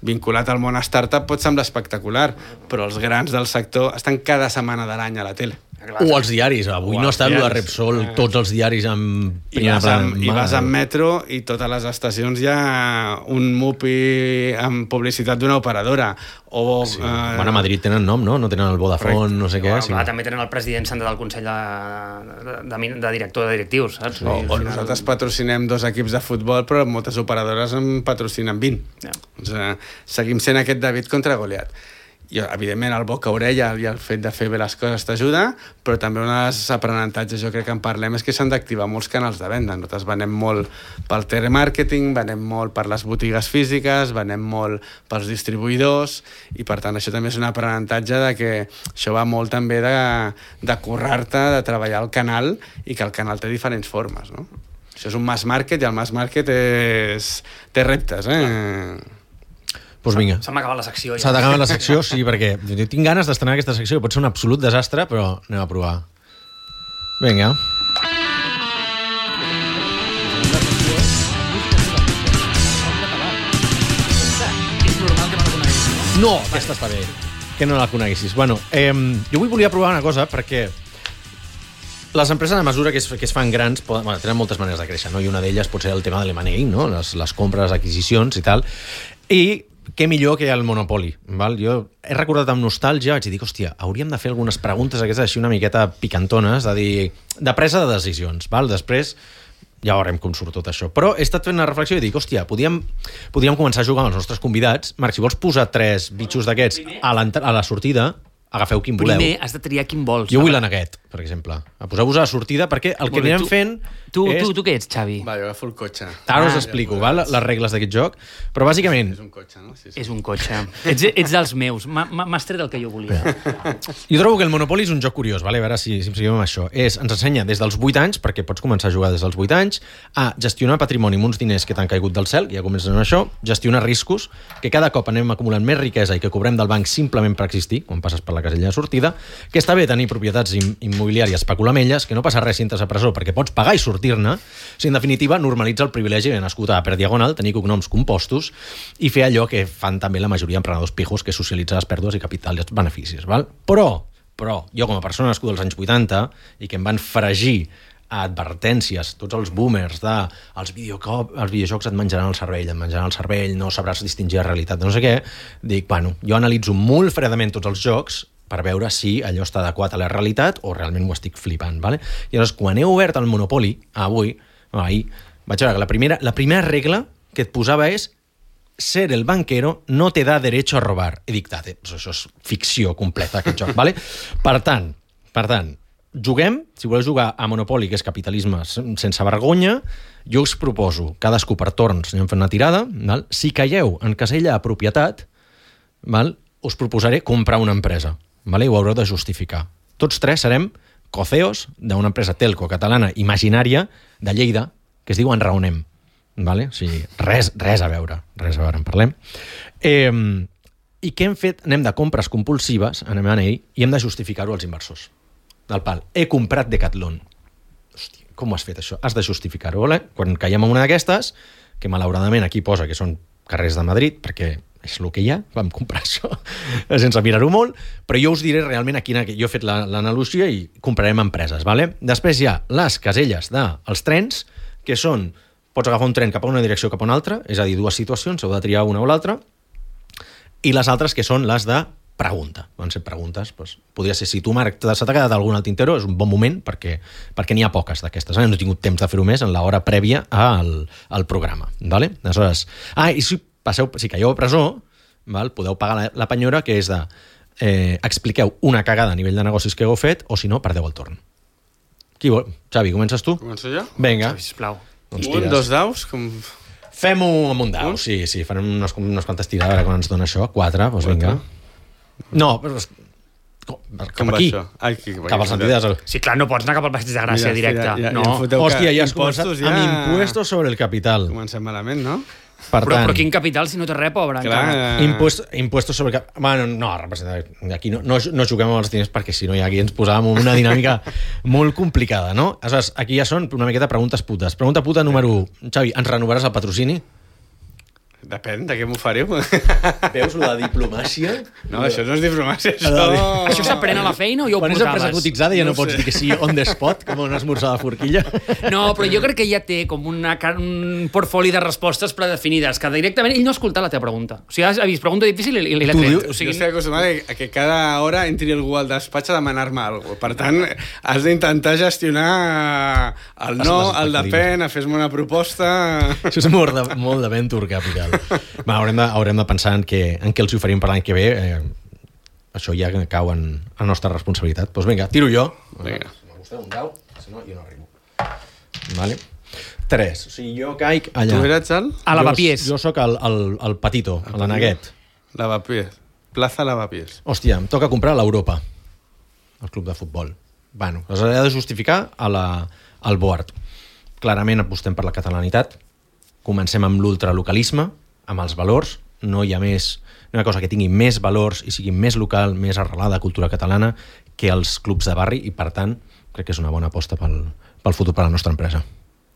vinculat al món startup pot semblar espectacular, però els grans del sector estan cada setmana de l'any a la tele. O els diaris. Avui no està el de Repsol, tots els diaris amb... I vas, amb, I vas amb metro i totes les estacions hi ha un mupi amb publicitat d'una operadora. O, sí. uh... Bueno, a Madrid tenen nom, no? No tenen el Vodafone, no sé què. Bueno, sí. Clar, també tenen el president sentat al Consell de, de, de, de director de directius, saps? O, o nosaltres patrocinem dos equips de futbol, però moltes operadores en patrocinen vint. Yeah. O sigui, seguim sent aquest David contra Goliat. I, evidentment, el boca-orella i el fet de fer bé les coses t'ajuda, però també un dels aprenentatges, jo crec que en parlem, és que s'han d'activar molts canals de venda. Nosaltres venem molt pel telemàrqueting, venem molt per les botigues físiques, venem molt pels distribuïdors, i per tant això també és un aprenentatge de que això va molt també de, de currar-te, de treballar el canal, i que el canal té diferents formes, no? Això és un mass market, i el mass market és... té reptes, eh? Doncs vinga. S'ha acabat la secció. S'ha d'acabar la secció, sí, perquè jo tinc ganes d'estrenar aquesta secció, que pot ser un absolut desastre, però anem a provar. Vinga. No, aquesta està bé. Que no la coneguessis. Bueno, eh, jo avui volia provar una cosa, perquè les empreses, a mesura que es, que es fan grans, poden, bueno, tenen moltes maneres de créixer, no? I una d'elles pot ser el tema de l'M and A, no? Les, les compres, adquisicions i tal. I què millor que el Monopoly, val? Jo he recordat amb nostàlgia, vaig dir, hòstia, hauríem de fer algunes preguntes aquestes així una miqueta picantones, de dir, de presa de decisions, val? Després ja veurem com surt tot això. Però he estat fent una reflexió i dic, hòstia, podríem, podríem començar a jugar amb els nostres convidats. Marc, si vols posar tres bitxos d'aquests a, a la sortida, agafeu quin voleu. Primer has de triar quin vols. Jo vull l'aneguet, per exemple. Poseu-vos a la sortida, perquè el que anirem fent... Tu, és... tu, tu què ets, Xavi? Va, jo agafo el cotxe. Ara us explico, ah, val, les regles d'aquest joc, però bàsicament... És un cotxe, no? Sí, sí. És un cotxe. ets, ets dels meus. M'has tret el que jo volia. Jo trobo que el Monopoly és un joc curiós, vale? A veure si, si em seguim amb això. És, ens ensenya des dels vuit anys, perquè pots començar a jugar des dels vuit anys, a gestionar patrimoni amb uns diners que t'han caigut del cel, ja comencem amb això, gestionar riscos, que cada cop anem acumulant més riquesa i que cobrem del banc simplement per existir, quan passes per la casella de sortida, que està bé tenir propietats immobiliàries, especular amb elles, que no passa res si entres a presó perquè pots pagar i sortir-ne, si en definitiva normalitza el privilegi de nascut a per diagonal, tenir cognoms compostos i fer allò que fan també la majoria d'emprenedors pijos, que és socialitzar les pèrdues i capital i els beneficis. Val? Però, però, jo com a persona nascuda als anys vuitanta i que em van fregir a advertències, tots els boomers de els, videocop, els videojocs et menjaran el cervell, et menjaran el cervell, no sabràs distingir la realitat de no sé què, dic, bueno, jo analitzo molt fredament tots els jocs per veure si allò està adequat a la realitat o realment ho estic flipant, vale? I llavors, quan he obert el Monopoly, avui, ahir, vaig veure que la primera, la primera regla que et posava és ser el banquero no te da derecho a robar. He dictat, eh? Això és ficció completa, aquest joc, vale? Per tant, per tant, juguem, si voleu jugar a Monopoly, que és capitalisme sense vergonya, jo us proposo, cadascú per torns, anem fent una tirada, val? Si caieu en casella a propietat, val? Us proposaré comprar una empresa. Vale? Ho haureu de justificar. Tots tres serem coceos d'una empresa telco catalana imaginària de Lleida que es diu Enraonem. Vale? O sigui, res, res a veure. Res a veure, en parlem. Eh, I què hem fet? Anem de compres compulsives en M and A i hem de justificar-ho als inversors. Del pal. He comprat Decathlon. Hòstia, com ho has fet, això? Has de justificar-ho. Vale? Quan caiem en una d'aquestes, que malauradament aquí posa que són carrers de Madrid, perquè és el que hi ha, vam comprar això sense mirar-ho molt, però jo us diré realment a quina... Jo he fet l'analogia i comprarem empreses, vale? Després hi ha les caselles dels trens, que són, pots agafar un tren cap a una direcció cap a una altra, és a dir, dues situacions, heu de triar una o l'altra, i les altres que són les de pregunta. Van ser preguntes, doncs, podria ser, si tu, Marc, se t'ha quedat alguna al tintero, és un bon moment perquè, perquè n'hi ha poques d'aquestes. No he tingut temps de fer-ho més en l'hora prèvia al, al programa, vale? Aleshores, ah, i si passeu, si caieu a presó, val, podeu pagar la, la penyora, que és de eh, expliqueu una cagada a nivell de negocis que heu fet, o si no, perdeu el torn. Qui vol? Xavi, comences tu? Començo jo? Vinga. Xavi, sisplau. Doncs un, dos daus? Com... Fem-ho amb un dau, sí, sí. Farem unes, unes quantes tirades, ara quan ens dona això. Quatre, doncs vinga. No, però... Cap com aquí. Ai, que, cap al Santidas. Sí, clar, no pots anar cap al Passeig de Gràcia Mira, directe. Ja, ja, no. ja Hòstia, ja has començat ja... amb impuestos sobre el capital. Comencem malament, no? Per però, tant, però quin capital si no té res, pobre? Clar, encara. Impuest, impuestos sobre... Bueno, no, representa, aquí no, no, no juguem amb els diners perquè si no ja aquí ens posàvem en una dinàmica molt complicada, no? Aleshores, aquí ja són una miqueta preguntes putes. Pregunta puta número u. Xavi, ens renovaràs el patrocini? Depèn, de què m'oferiu. Veus, la diplomàcia? No, això no és diplomàcia, això... Això s'aprèn a la feina o ja ho Quan és empresa portaves? cotitzada ja no, No pots sé. dir que sí on the spot, com un esmorzar de forquilla. No, però jo crec que ja té com una, car- un portfoli de respostes predefinides, que directament ell no ha escoltat la teva pregunta. O sigui, has vist pregunta difícil i, i l'ha Tu tret. dius- O Jo sigui, estic acostumat a que cada hora entri algú al despatx a demanar-me alguna cosa. Per tant, has d'intentar gestionar el Les- no, les el expectatives. depèn, a fer-me una proposta... Això és molt de, molt de Venture Capital. Va, haurem, de, haurem de pensar en què, en què els oferim per l'any que ve. Eh, això ja cau en la nostra responsabilitat. Doncs vinga, tiro jo. Vinga. Si m'ha un dau, si no, jo no arribo. Vale. Tres. O sigui, jo caic allà. Tu eres el? a Lavapiés. Jo, jo sóc el, el, el petito, l'aneguet. Lavapiés. Plaza Lavapiés. Hòstia, em toca comprar l'Europa, el club de futbol. Bueno, els he de justificar a la, al board. Clarament apostem per la catalanitat. Comencem amb l'ultralocalisme, amb els valors. No hi ha més, no hi ha cosa que tingui més valors i sigui més local, més arrelada a cultura catalana que els clubs de barri i, per tant, crec que és una bona aposta pel, pel futur per a la nostra empresa.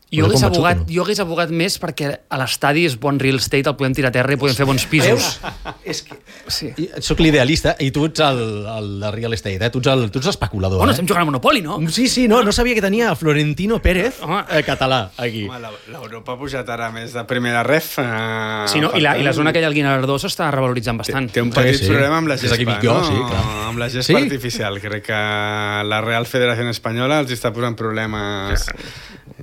Jo Us he hagués, convençut o abogat, no? jo hagués abogat més perquè a l'estadi és bon real estate, el podem tirar a terra i podem fer bons pisos. És que Sí. soc l'idealista i tu ets el, el de real estate, eh? tu ets el- tu ets l'especulador. Bueno, eh? estem jugant a Monopoli, no? Sí, sí, no, no sabia que tenia Florentino Pérez Home. eh, català aquí. Home, la- l'Europa ha pujat ara més de primera ref. Eh, Sí, no? per I, la, tant, I la zona aquella al Guinardó s'està revaloritzant Té, bastant. té un petit Sí, sí. problema amb la Des d'aquí gespa, dic jo, no? sí, clar. Amb la gespa Sí? artificial. Crec que la Real Federació Espanyola els està posant problemes.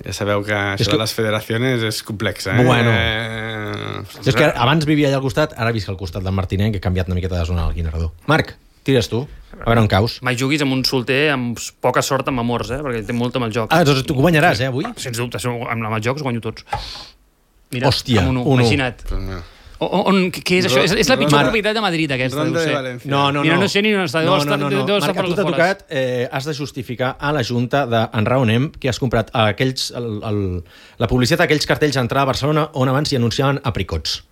Ja sabeu que això És que- de les federacions és complex, eh? Bueno. Eh... Jo és que abans vivia allà al costat, ara visc al costat del Martinet, que he canviat una miqueta de zona al Guinardó. Marc, tires tu, a veure on caus. Mai juguis amb un solter amb poca sort amb amors, eh? Perquè té molt amb el joc. Ah, doncs tu guanyaràs, eh, avui? Sens dubte, amb els jocs guanyo tots. Mira, Hòstia, amb un u, un u. imagina't. Pues mira. O, on, què és això? És, és la pitjor Ronda- propietat de Madrid, aquesta, Ronda deu de ser. València. No, no, no. Mira, no sé ni on està, deu No, estar- no, no, no. deu estar Marc, per a tu les t'ha afores. tocat, eh, has de justificar a la Junta d'Enraonem que has comprat aquells, el, el, la publicitat d'aquells cartells a entrar a Barcelona on abans s'hi anunciaven apricots.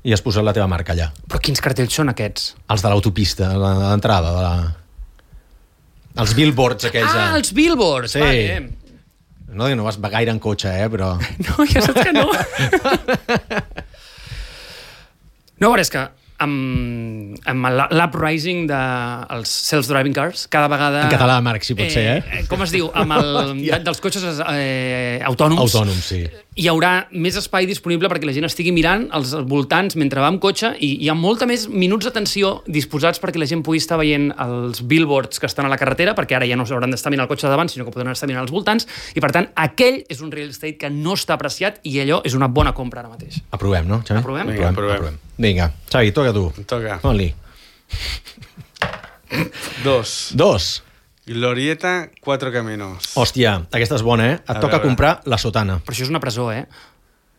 I has posat la teva marca allà. Però quins cartells són aquests? Els de l'autopista, la- l'entrada, de la... els billboards aquells. Ah, eh? els billboards! Sí. Vale. No, no vas gaire en cotxe, eh, però... No, ja saps que no. No, però és que amb, amb l'uprising dels self-driving cars, cada vegada... En català, Marc, si pot ser, eh? Com es diu? Amb el, dels cotxes eh, autònoms. Autònom, sí. Hi haurà més espai disponible perquè la gent estigui mirant als voltants mentre va amb cotxe i hi ha molta més minuts d'atenció disposats perquè la gent pugui estar veient els billboards que estan a la carretera, perquè ara ja no s'hauran d'estar mirant el cotxe de davant, sinó que podran estar mirant els voltants, i per tant, aquell és un real estate que no està apreciat i allò és una bona compra ara mateix. Aprovem, no, Xavi? Aprovem? Vinga, aprovem. Vinga, Xavi, toca tu. Em toca. Fot-li. Dos. Dos. Glorieta, Cuatro Caminos. Hòstia, aquesta és bona, eh? Et A toca veure. comprar la sotana. Però això és una presó, eh?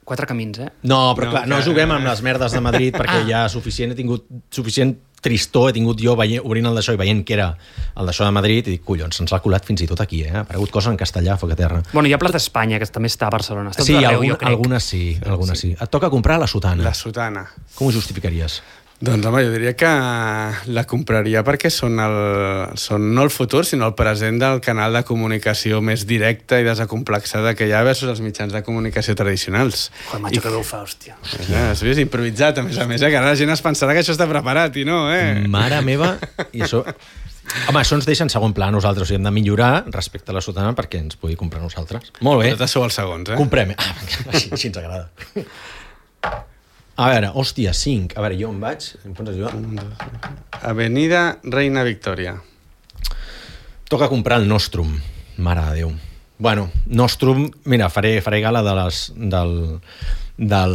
Quatre camins, eh? No, però No, clar, no que- juguem amb les merdes de Madrid perquè Ah. ja suficient, he tingut suficient tristor, he tingut jo veient, obrint el d'això i veient que era el d'això de Madrid i dic, collons, se'ns l'ha colat fins i tot aquí, eh? Ha aparegut cosa en castellà, foc a terra. Bueno, hi ha Plaça Espanya, que també està a Barcelona. Està Sí, tot arreu, algun, jo crec. algunes sí, algunes sí. Et toca comprar la sotana. La sotana. Com ho justificaries? Doncs home, jo diria que la compraria perquè són, el, són no el futur, sinó el present del canal de comunicació més directa i desacomplexada que hi ha versus els mitjans de comunicació tradicionals. Joder, macho, que bé ho fa, hòstia. Ja, has vist? Improvisat, a més a més, eh? Que ara la gent es pensarà que això està preparat i no, eh? Mare meva, i això... Home, això ens deixa en segon pla a nosaltres, o sigui, hem de millorar respecte a la sotana perquè ens pugui comprar nosaltres. Molt bé, Totes sou els segons, eh? comprem. Ah, així, així ens agrada. A veure, hòstia, cinc. A veure, jo on vaig? Em pots ajudar? Avenida Reina Victòria. Toca comprar el Nostrum. Mare de Déu. Bueno, Nostrum, mira, faré, faré gala de les... Del, del,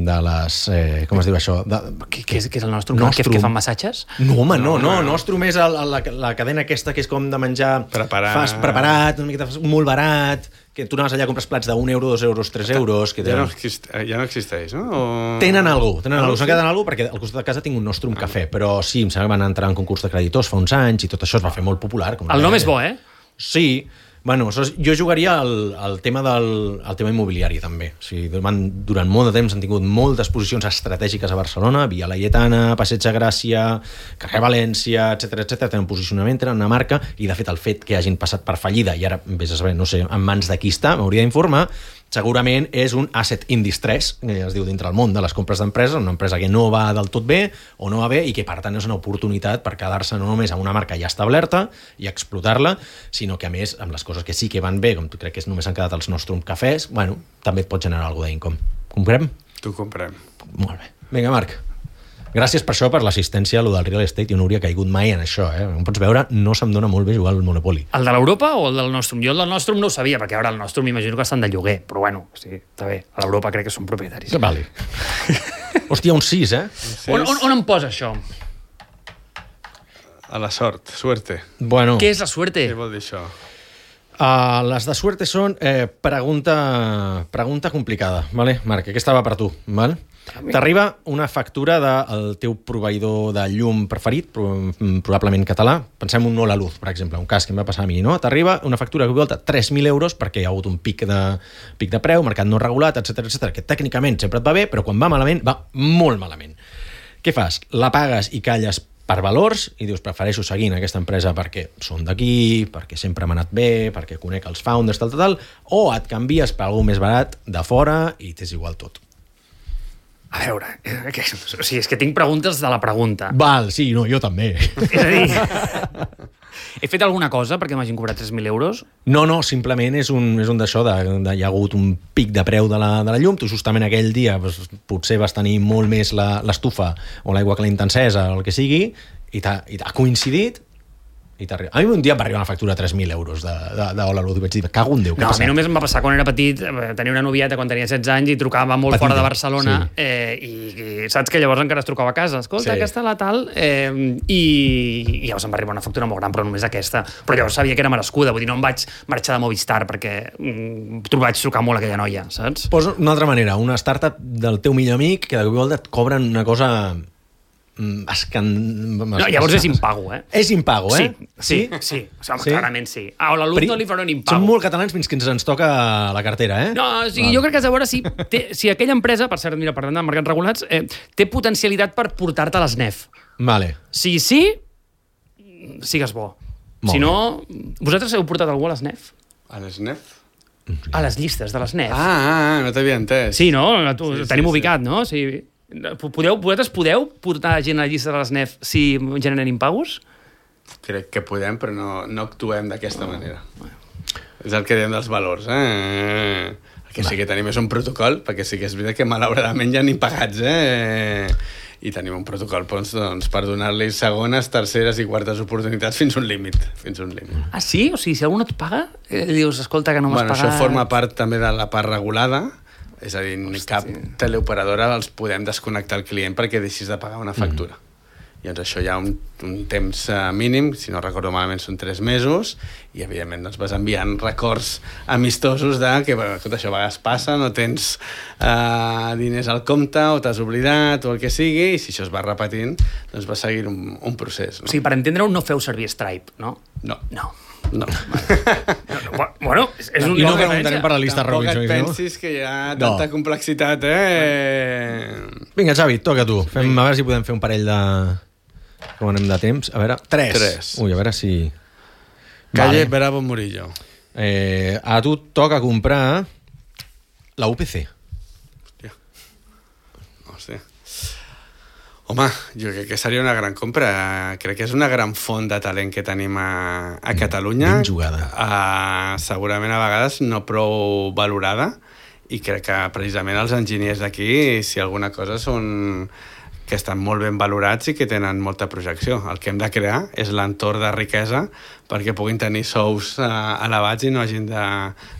de les... Eh, com es diu això? De, Què, què, és, què és el nostre? Nostrum. Que, que fan massatges? No, home, no, No, no. no. Nostrum és el, la, la cadena aquesta que és com de menjar... Preparat. Fas preparat, una miqueta molt barat, que tu anaves allà, compres plats d'un euro, dos euros, tres euros... Que Ja no, tenen... exist, ja no existeix, no? O... Tenen alguna cosa, tenen Ah, alguna cosa. sí? S'han quedat en alguna cosa perquè al costat de casa tinc un Nostrum Cafè, però sí, em sembla que van entrar en concurs de creditors fa uns anys i tot això es va fer molt popular. Com El nom és bo, eh? Sí, bueno, això és- jo jugaria al, al tema del al tema immobiliari també. O sigui, durant, durant molt de temps han tingut moltes posicions estratègiques a Barcelona, Via Laietana, Passeig de Gràcia, carrer València, etcètera, etcètera. Tenen posicionament, tenen una marca i de fet el fet que hagin passat per fallida i ara, vés a saber, no sé, en mans de qui està, m'hauria d'informar, segurament és un asset in distress, que es diu dintre el món de les compres d'empreses, una empresa que no va del tot bé o no va bé i que, per tant, és una oportunitat per quedar-se no només amb una marca ja establerta i explotar-la, sinó que, a més, amb les coses que sí que van bé, com tu crec que només han quedat els Nostrum cafès, bueno, també et pot generar alguna d'income. Comprem? Tu comprem. Molt bé. Vinga, Marc. Gràcies per això, per l'assistència a lo del real estate. Jo no hauria caigut mai en això, eh? Com pots veure, no se'm dona molt bé jugar al Monopoly. El de l'Europa o el del Nostrum? Jo el del Nostrum no ho sabia, perquè ara el Nostrum m'imagino que estan de lloguer, però bueno, sí, està bé. A l'Europa crec que són propietaris. Que vale. Hòstia, un sis, eh? On, on, on em posa això? A la sort, suerte. Bueno. Què és la suerte? Què vol dir això? Uh, les de suerte són eh, pregunta, pregunta complicada, vale? Marc, aquesta va per tu, val? T'arriba una factura del teu proveïdor de llum preferit, probablement català, pensem un Hola Luz, per exemple, un cas que em va passar a mi, no? T'arriba una factura que volta tres mil euros perquè hi ha hagut un pic de, pic de preu, mercat no regulat, etcètera, etcètera, que tècnicament sempre et va bé, però quan va malament, va molt malament. Què fas? La pagues i calles per valors i dius, prefereixo seguir en aquesta empresa perquè són d'aquí, perquè sempre m'ha anat bé, perquè conec els founders, tal, tal, tal, o et canvies per algú més barat de fora i t'és igual tot. A veure, eh, que, o sigui, és que tinc preguntes de la pregunta. Val, sí, no, jo també. És a dir, he fet alguna cosa perquè m'hagin cobrat tres mil euros? No, no, simplement és un, és un d'això, de, de, hi ha hagut un pic de preu de la, de la llum, tu justament aquell dia doncs, potser vas tenir molt més l'estufa o l'aigua calenta encesa o el que sigui, i t'ha coincidit, i t'arriba. A mi un dia em va arribar una factura de tres mil euros de, de, de Hola Luz i vaig dir, cago en Déu, què no, ha passat? A mi només em va passar quan era petit, tenia una novieta quan tenia setze anys i trucava molt Petita, fora de Barcelona, sí. eh, i, i saps que llavors encara es trucava a casa, escolta, sí. Aquesta la tal, eh, i, i llavors em va arribar una factura molt gran, però només aquesta, però llavors sabia que era merescuda, vull dir, no em vaig marxar de Movistar perquè mm, vaig trucar molt a aquella noia, saps? Posa una altra manera, una startup del teu millor amic que de cop i volta et cobren una cosa... Escan... No, llavors és impago, eh? És impago, eh? Sí, sí, sí, sí. O sigui, sí? Clarament sí. A Hola Luz no li faran impago. Som molt catalans fins que ens ens toca la cartera, eh? No, o sigui, jo crec que has de veure si, té, si aquella empresa, per cert, mira, parlant de mercats regulats, eh, té potencialitat per portar-te a l'S N E F. Vale. Si sí, sigues bo. Molt si no, vosaltres heu portat algú a l'S N E F? A l'S N E F? A les llistes de l'S N E F. Ah, ah, no t'havia entès. Sí, no? Tu, sí, tenim sí, ubicat, sí. no? Sí. Podeu, vosaltres podeu portar gent a la llista de l'S N E F si generen impagos? Crec que podem, però no, no actuem d'aquesta manera. Bueno. És el que diem dels valors, eh? El que sí que tenim és un protocol, perquè sí que és veritat que malauradament ja n'hi pagats, eh? I tenim un protocol doncs, doncs, per donar-li segones, terceres i quartes oportunitats fins un límit. Fins un límit. Ah, sí? O sigui, si algú no et paga, eh, dius, escolta, que no m'has bueno, pagat... Això forma part també de la part regulada, és a dir, ni cap teleoperadora els podem desconnectar el client perquè deixis de pagar una factura. Mm. I doncs això hi ha un, un temps uh, mínim, si no recordo malament són tres mesos, i evidentment doncs, vas enviant records amistosos de que bueno, tot això a vegades passa, no tens uh, diners al compte o t'has oblidat o el que sigui, i si això es va repetint, doncs va seguir un, un procés. No? O sigui, per entendre-ho, no feu servir Stripe, no? No. No. No. no. Bueno, és, és un I no preguntarem per la llista Robinson. Tampoc et pensis que hi ha tanta no. complexitat, eh? Vinga, Xavi, toca tu. Fem, a veure si podem fer un parell de... Com anem de temps? A veure, tres. Tres. Ui, a veure si... Calle vale. Bravo Murillo. Eh, a tu toca comprar la U P C. Hòstia. Hòstia. Home, jo crec que seria una gran compra. Crec que és una gran font de talent que tenim a, a Catalunya. Ben jugada. Uh, segurament a vegades no prou valorada, i crec que precisament els enginyers d'aquí, si alguna cosa, són que estan molt ben valorats i que tenen molta projecció. El que hem de crear és l'entorn de riquesa perquè puguin tenir sous uh, elevats i no hagin de,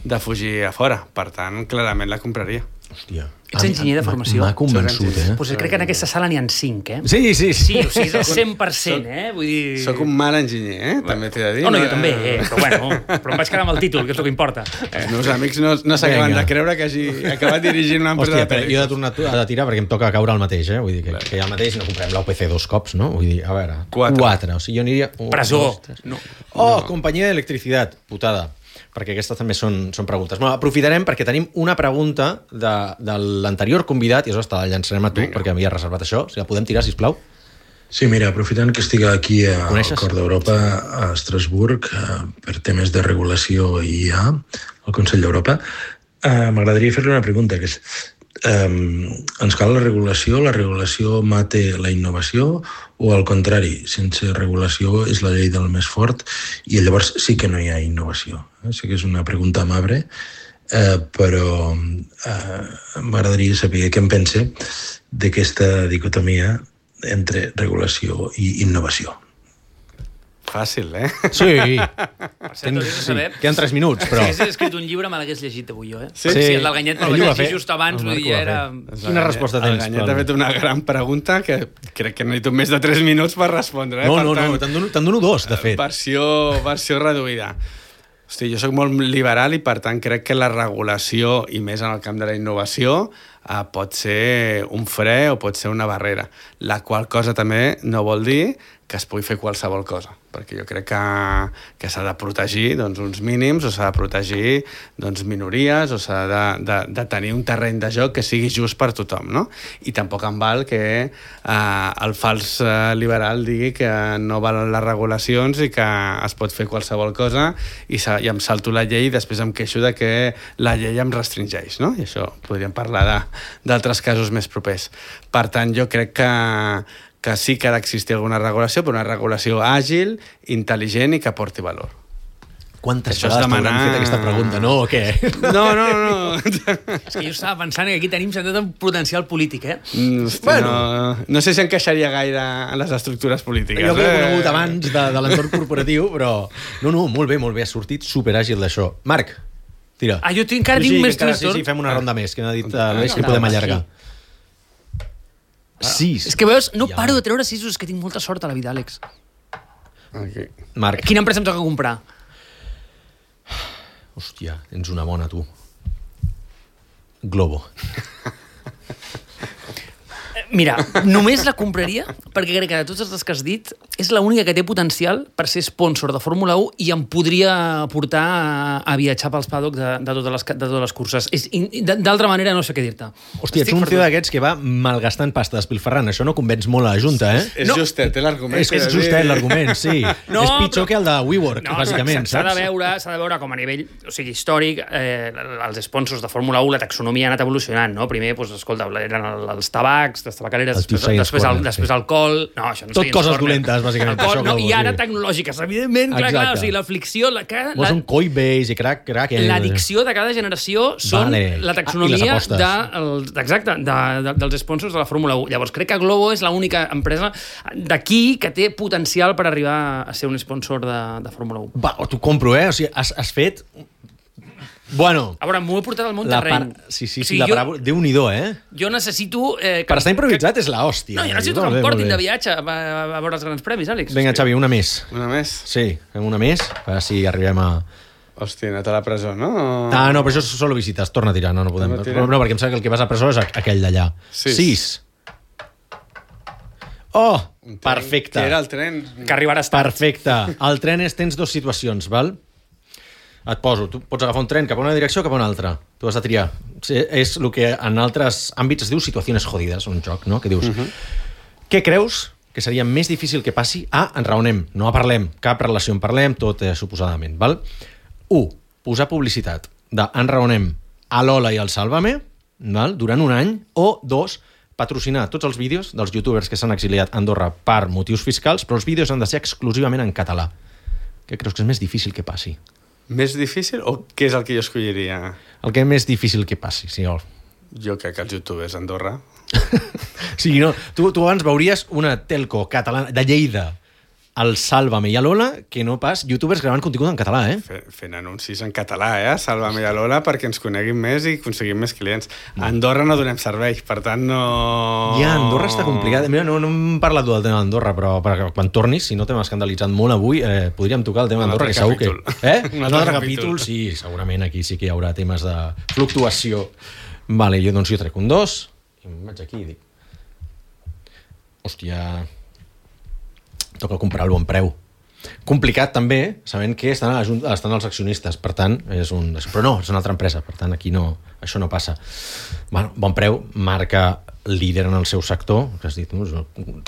de fugir a fora. Per tant, clarament la compraria. Hòstia. Ets enginyer de formació? M'ha convençut, eh? Pues crec que en aquesta sala n'hi ha cinc, eh? Sí, sí, sí. Sí, o sigui, és el cent per cent, eh? Vull dir... Soc un mal enginyer, eh? També t'he de dir. No, no, jo també, eh? Però bueno, però em vaig quedar amb el títol, que és el que importa. Els meus amics no, no s'acaben de creure que hagi acabat dirigint una empresa. Hòstia, però jo he de tornar a tirar perquè em toca caure al mateix, eh? Vull dir que, que hi ha el mateix, no comprem l'U P C dos cops, no? Vull dir, a veure... Quatre. Quatre. O sigui, jo aniria... Un, Presó. Dos, no. Oh, no. Companyia d'electricitat. Putada. Perquè aquestes també són, són preguntes. Bueno, aprofitarem perquè tenim una pregunta de, de l'anterior convidat, i això te la llançarem a tu, Vinga. Perquè m'havia reservat això. Si la podem tirar, sisplau. Sí, mira, aprofitant que estic aquí a, al cor d'Europa, a Estrasburg, per temes de regulació I A, al Consell d'Europa, Uh, M'agradaria fer-li una pregunta, que és um, ens cal la regulació, la regulació mate la innovació o al contrari, sense regulació és la llei del més fort i llavors sí que no hi ha innovació. Eh? Sé que és una pregunta amable, uh, però uh, m'agradaria saber què em pense d'aquesta dicotomia entre regulació i innovació. Fàcil, eh? Sí. Per cert, hauries de Sí. saber... Queden tres minuts, però... Si hagués escrit un llibre, me l'hagués llegit avui jo, eh? Sí? Sí, el del Ganyet me'l Ell vaig ho va llegir fer. just abans, El vull Marc dir, ho va era... fer. Quina resposta tens? El Ganyet ha fet una gran pregunta que crec que necessito més de tres minuts per respondre. Eh? No, per no, tant, no, te'n dono, te'n dono dos, de fet. Versió, versió reduïda. Hosti, jo sóc molt liberal i, per tant, crec que la regulació, i més en el camp de la innovació, eh, pot ser un fre o pot ser una barrera. La qual cosa també no vol dir que es pugui fer qualsevol cosa, perquè jo crec que, que s'ha de protegir doncs, uns mínims o s'ha de protegir doncs, minories o s'ha de, de, de tenir un terreny de joc que sigui just per tothom, no? I tampoc em val que eh, el fals eh, liberal digui que no valen les regulacions i que es pot fer qualsevol cosa i, i em salto la llei i després em queixo de que la llei em restringeix, no? I això podríem parlar d'altres casos més propers. Per tant, jo crec que que sí que ha d'existir alguna regulació, però una regulació àgil, intel·ligent i que aporti valor. Quantes Això és vegades demanar- t'hauran fet aquesta pregunta, no? O què? No, no, no. És que jo estava pensant que aquí tenim sentit un potencial polític, eh? Mm, Hosti, Bueno. no, no sé si encaixaria gaire en les estructures polítiques. Jo que l'he eh? conegut abans de, de l'entorn corporatiu, però... No, no, molt bé, molt bé, ha sortit superàgil d'això. Marc, tira. Ah, jo tinc- encara Sí, tinc sí, més que encara- tristor. Sí, sí, fem una ronda més, que m'ha dit uh, l'Aleix que no, podem no, allargar. Sis. És que veus, no Ja. paro de treure sisos, és que tinc molta sort a la vida, Àlex. Aquí. Marc, Quina empresa em toca comprar? hòstia, tens una bona, tu. Globo. Mira, només la compraria perquè crec que de totes les que has dit és l'única que té potencial per ser sponsor de Fórmula u i em podria portar a, a viatjar pels paddocks de, de, totes les, de totes les curses. És- i- D'altra manera no sé què dir-te. Hòstia, ets Estic un perdut. tio d'aquests que va malgastant pasta despilferrant. Això no convenç molt a la Junta, eh? És No. justet, té l'argument. És que és que dir. justet l'argument, sí. No, és pitjor però- que el de WeWork, No, bàsicament, s'ha saps? de veure, s'ha de veure com a nivell, o sigui, històric, eh, els sponsors de Fórmula u, la taxonomia ha anat evolucionant, no? Primer, doncs, escolta, eren el- els tabacs, les tabacaleres, El després, Science després, el, Corner, després sí. alcohol... No, això no Tot Science coses Corner. dolentes, bàsicament, Alcohol, això, no, Globo, I ara sí. tecnològiques, evidentment, clar, clar, Exacte. o sigui, la flicció... La, cada, Vols la, un Coinbase i crack, crack... eh? L'addicció de cada generació són Vale. la Ah, i taxonomia les apostes. de, el, exacte, de, de, dels sponsors de la Fórmula u. Llavors, crec que Globo és l'única empresa d'aquí que té potencial per arribar a ser un sponsor de, de Fórmula u. Va, t'ho compro, eh? O sigui, has, has fet... Bueno, A veure, m'ho he portat al món la terreny. par... Sí, sí, O sí, sigui, la jo, paràbola... Déu-n'hi-do, eh? jo necessito... Eh, que, Per estar improvisat és la hòstia. No, jo necessito Molt que bé, em portin molt de bé. viatge a, a, a veure els grans premis, Àlex. Vinga, Xavi, una més. Una més? Sí, fem una més, a veure si arribem a... Hòstia, anat a la presó, no? Ah, no, però això és solo visites. Torna a tirar, no, no podem... Torna a tirar. No, no, perquè em sembla que el que vas a presó és aqu- aquell d'allà. Sis. Sis. Oh, Un tren perfecte. Que era el tren... Que arribaràs tard. Perfecte. El tren és, tens dues situacions, val? Et poso, tu pots agafar un tren cap a una direcció o cap a una altra. Tu has de triar. Sí, és el que en altres àmbits es diu situacions jodides, un joc, no? Que dius, uh -huh. què creus que seria més difícil que passi? A, enraonem, no parlem, cap relació en parlem, tot eh, suposadament, val? Un, posar publicitat de enraonem a l'Ola i al Sálvame, val? Durant un any, o dos, patrocinar tots els vídeos dels youtubers que s'han exiliat a Andorra per motius fiscals, però els vídeos han de ser exclusivament en català. Què creus que és més difícil que passi? Més difícil o què és el que jo escolliria? El que és més difícil que passi, sí. O Jo crec que els youtubers a Andorra. sigui, no, tu, tu abans veuries una telco catalana de Lleida, al Sálvame i a l'Ola, que no pas youtubers gravant contingut en català, eh? Fe- Fent anuncis en català, eh? Sálvame a Lola perquè ens coneguin més i aconseguim més clients. A Andorra no donem servei, per tant no... Ja, Andorra està complicat. Mira, no, no hem parlat del tema d'Andorra, però perquè quan tornis, si no t'hem escandalitzat molt avui, eh, podríem tocar el tema Un d'Andorra, que altre segur que... capítol. Eh? Un Un altre altre capítol. capítol, sí, segurament aquí sí que hi haurà temes de fluctuació. Vale, jo doncs jo trec un dos, i em vaig aquí i dic... Hòstia... Toca comprar el bon preu. Complicat també, sabent que estan, a la Junta, estan els accionistes, per tant, és un... Però no, és una altra empresa, per tant, aquí no, això no passa. Bueno, bon preu, marca líder en el seu sector, que has dit,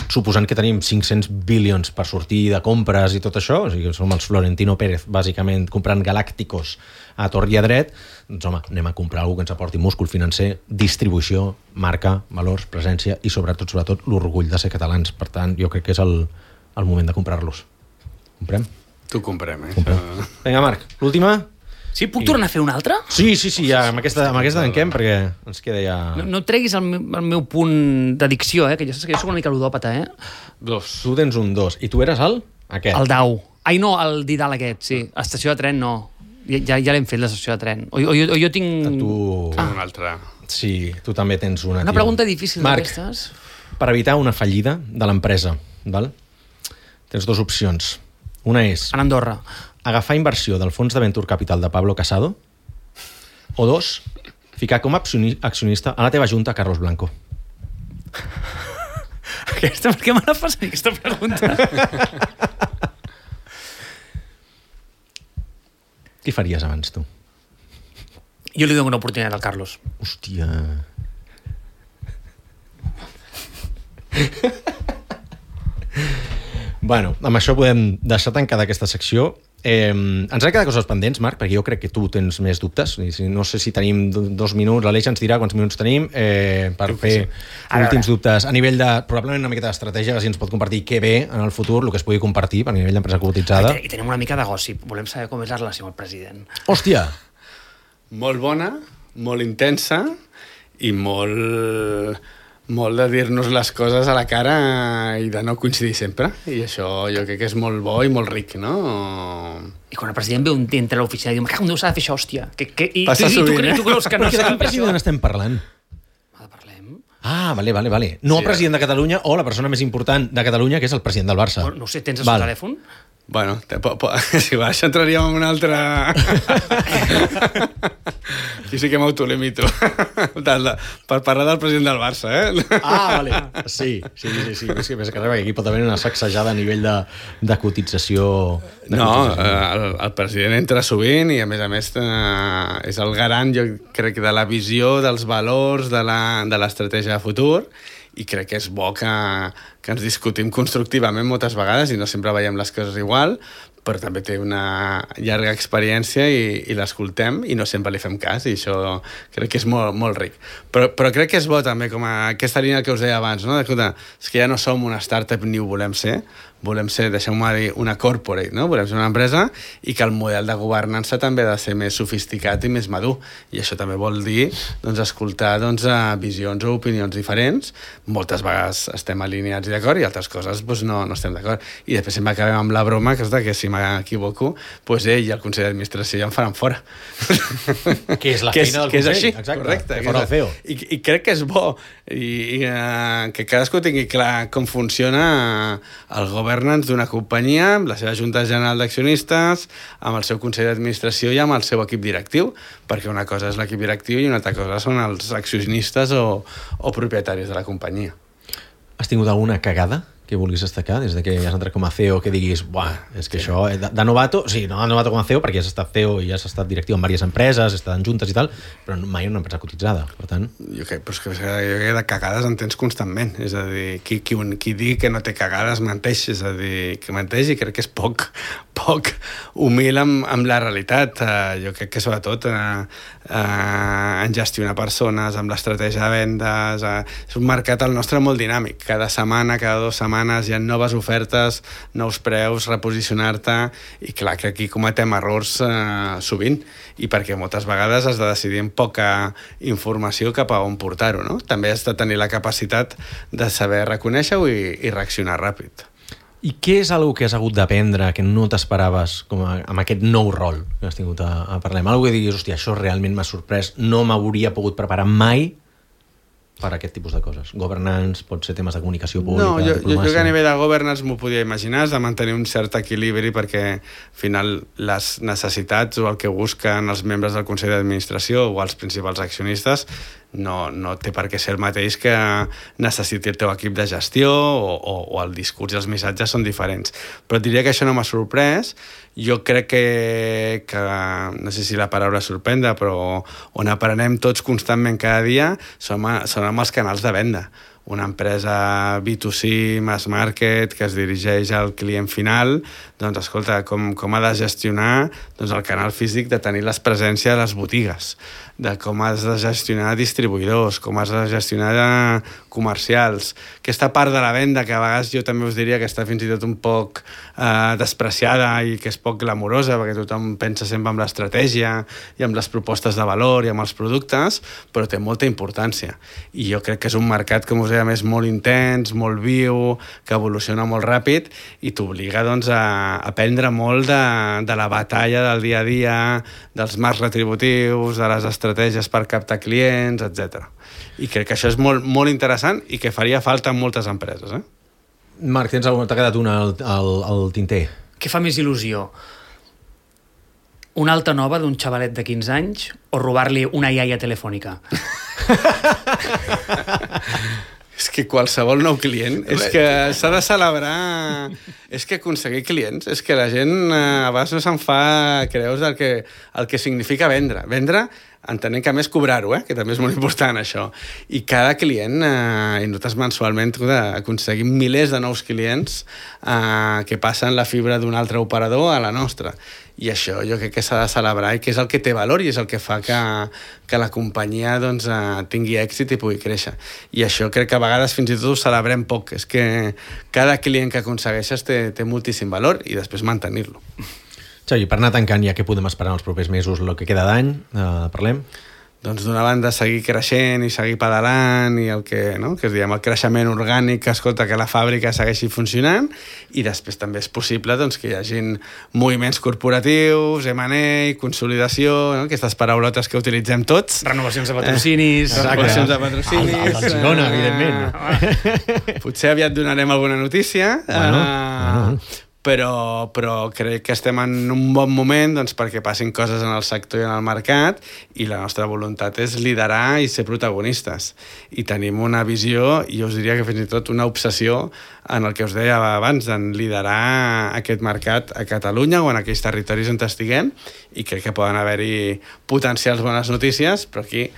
suposant que tenim cinc-cents bilions per sortir de compres i tot això, o sigui, som els Florentino Pérez, bàsicament, comprant galàcticos a tort i a dret, doncs home, anem a comprar alguna que ens aporti múscul financer, distribució, marca, valors, presència i sobretot, sobretot, l'orgull de ser catalans. Per tant, jo crec que és el, el moment de comprar-los. Comprem? Tu comprem, eh? Comprem. Vinga, Marc, l'última? Sí, puc tornar a fer una altra? Sí, sí, sí, ja, amb aquesta, amb aquesta tanquem, perquè ens queda ja... No, no treguis el meu, el meu punt d'addicció, eh? Que ja saps que jo soc una mica ludòpata, eh? Dos. Tu tens un dos. I tu eres el? Aquest. El Dau. Ai, no, el Didal aquest, sí. Estació de tren, no. Ja, ja l'hem fet, l'estació de tren. O, o, o, o jo tinc... Tu... Ah. Un altre. Sí, tu també tens una. Una tio. pregunta difícil Marc, d'aquestes. per evitar una fallida de l'empresa, val? Tens dues opcions. Una és En Andorra. agafar inversió del fons de Venture Capital de Pablo Casado, o dos, ficar com a accionista a la teva junta Carlos Blanco. Aquesta, per què me la fas a mi, aquesta pregunta? Què faries abans, tu? Jo li dono una oportunitat al Carlos. Hòstia... Bueno, amb això podem deixar tancada aquesta secció. Eh, ens han quedat coses pendents, Marc, perquè jo crec que tu tens més dubtes. No sé si tenim dos minuts, l'Aleix ens dirà quants minuts tenim eh, per fer últims dubtes a nivell de, probablement una miqueta d'estratègia, si ens pot compartir què ve en el futur, el que es pugui compartir a nivell d'empresa cotitzada. I tenim una mica de gossip. Volem saber com és la relació amb el president. Hòstia! Molt bona, molt intensa i molt... molt de dir-nos les coses a la cara i de no coincidir sempre. I això jo crec que és molt bo i molt ric, no? I quan el president ve un dia entre l'oficina i diu, me cago en Déu, s'ha de fer això, hòstia. Que, que, i, Passa tu, sovint, i tu, eh? tu creus que no Perquè de s'ha de quin fer president això? estem parlant? Ah, parlem? Ah, vale, vale, vale. No Sí, el president de Catalunya o la persona més important de Catalunya, que és el president del Barça. No, no ho sé, tens el seu Val. telèfon? Bueno, te, po, po, si va, això entraríem en una altra... Aquí sí que m'autolimito. Per parlar del president del Barça, eh? Ah, vale. Sí, sí, sí, sí. És que, és que aquí pot haver una sacsejada a nivell de, de cotització. De No, cotització. eh, el, el president entra sovint i, a més a més, eh, és el garant, jo crec, de la visió, dels valors, de la- de l'estratègia de futur, i crec que és bo que, que ens discutim constructivament moltes vegades i no sempre veiem les coses igual, però també té una llarga experiència i, i l'escoltem i no sempre li fem cas, i això crec que és molt, molt ric. Però, però crec que és bo també, com a aquesta línia que us deia abans, no? Escolta, és que ja no som una startup ni ho volem ser, volem ser, deixeu-me dir, una corporate, no? Volem ser una empresa i que el model de governança també ha de ser més sofisticat i més madur. I això també vol dir doncs, escoltar doncs, visions o opinions diferents. Moltes vegades estem alineats i d'acord i altres coses doncs, no, no estem d'acord. I després sempre acabem amb la broma que és de que si m'equivoco, doncs ell i el Consell d'Administració ja em faran fora. Que és la que feina del que és Consell, així, exacte, correcte. que fora el C E O. I, I crec que és bo i, i uh, que cadascú tingui clar com funciona el governance d'una companyia, amb la seva junta general d'accionistes, amb el seu Consell d'Administració i amb el seu equip directiu, perquè una cosa és l'equip directiu i una altra cosa són els accionistes o, o propietaris de la companyia. Has tingut alguna cagada que vulguis destacar des de que has entrat com a C E O, que diguis, buah, és que sí. això, de, de novato, sí, no de novato com a C E O, perquè has estat C E O i has estat directiu en diverses empreses, has estat en juntes i tal, però mai en una empresa cotitzada, per tant... Jo crec, però és que, jo crec que de cagades en tens constantment, és a dir, qui, qui, qui digui que no té cagades menteix, és a dir, que menteix i crec que és poc, poc humil amb, amb la realitat. Uh, jo crec que sobretot uh, uh, en gestionar persones, amb l'estratègia de vendes, uh, és un mercat el nostre molt dinàmic, cada setmana, cada dues setmanes hi ha noves ofertes, nous preus, reposicionar-te, i clar que aquí cometem errors eh, sovint, i perquè moltes vegades has de decidir amb poca informació cap a on portar-ho, no? També has de tenir la capacitat de saber reconèixer-ho i, i reaccionar ràpid. I què és algo que has hagut d'aprendre que no t'esperaves com a, amb aquest nou rol que has tingut a, a parlar? Algo que diguis, hòstia, això realment m'ha sorprès, no m'hauria pogut preparar mai per a aquest tipus de coses. Governance, pot ser temes de comunicació pública, no, jo, diplomàcia... jo crec que a nivell de governance m'ho podia imaginar, és de mantenir un cert equilibri perquè al final les necessitats o el que busquen els membres del Consell d'Administració o els principals accionistes no, no té per què ser el mateix que necessiti el teu equip de gestió o, o, o el discurs i els missatges són diferents. Però et diria que això no m'ha sorprès. Jo crec que, que, no sé si la paraula sorprendre, però on aprenem tots constantment cada dia són, són amb els canals de venda. Una empresa B dos C, mass market, que es dirigeix al client final, doncs, escolta, com, com ha de gestionar doncs, el canal físic, de tenir les presències a les botigues, de com has de gestionar distribuïdors, com has de gestionar comercials. Aquesta part de la venda, que a vegades jo també us diria que està fins i tot un poc eh, despreciada i que és poc glamurosa, perquè tothom pensa sempre en l'estratègia i en les propostes de valor i en els productes, però té molta importància. I jo crec que és un mercat, com us deia, més molt intens, molt viu, que evoluciona molt ràpid i t'obliga doncs, a aprendre molt de, de la batalla del dia a dia, dels marcs retributius, de les estratègies per captar clients, etcètera. I crec que això és molt, molt interessant i que faria falta en moltes empreses. Eh? Marc, tens alguna, t'ha quedat una al, al, al tinter? Què fa més il·lusió? Una alta nova d'un xavalet de quinze anys o robar-li una iaia telefònica? És que qualsevol nou client, és que s'ha de celebrar, és que aconseguir clients, és que la gent eh, a vegades no se'n fa creus el que, el que significa vendre. Vendre, entenent que a més cobrar-ho, eh? Que també és molt important això. I cada client, eh, i nosaltres mensualment aconseguim milers de nous clients eh, que passen la fibra d'un altre operador a la nostra. I això jo crec que s'ha de celebrar i que és el que té valor i és el que fa que, que la companyia doncs, eh, tingui èxit i pugui créixer. I això crec que a vegades fins i tot ho celebrem poc. És que cada client que aconsegueixes té, té moltíssim valor i després mantenir-lo. Xavi, per anar tancant ja, què podem esperar els propers mesos, el que queda d'any? Eh, parlem? Doncs d'una banda seguir creixent i seguir pedalant i el que, no? que es diguem, el creixement orgànic, que escolta que la fàbrica segueixi funcionant, i després també és possible doncs, que hi hagin moviments corporatius, M and A, consolidació, no? Aquestes paraulotes que utilitzem tots. Renovacions de patrocinis. Eh, renovacions de patrocinis. El, el del Girona, eh, evidentment. Potser aviat donarem alguna notícia. Bueno, uh, bueno. Però, però crec que estem en un bon moment doncs, perquè passin coses en el sector i en el mercat, i la nostra voluntat és liderar i ser protagonistes. I tenim una visió, i us diria que fins i tot una obsessió, en el que us deia abans, en liderar aquest mercat a Catalunya o en aquells territoris on estiguem, i crec que poden haver-hi potencials bones notícies, però aquí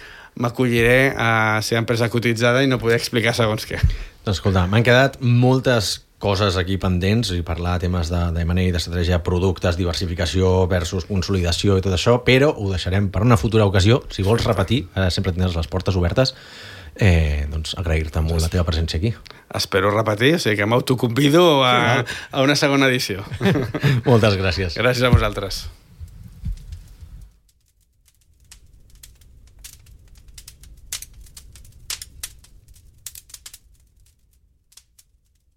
m'acolliré a ser empresa cotitzada i no poder explicar segons què. Doncs escolta, m'han quedat moltes coses aquí pendents i parlar de temes de, de M and A, d'estratègia, productes, diversificació versus consolidació i tot això, però ho deixarem per una futura ocasió. Si vols repetir, eh, sempre tindràs les portes obertes. Eh, doncs agrair-te molt la teva presència aquí. Espero repetir, o sigui que m'autoconvido a, a una segona edició. Moltes gràcies. Gràcies a vosaltres.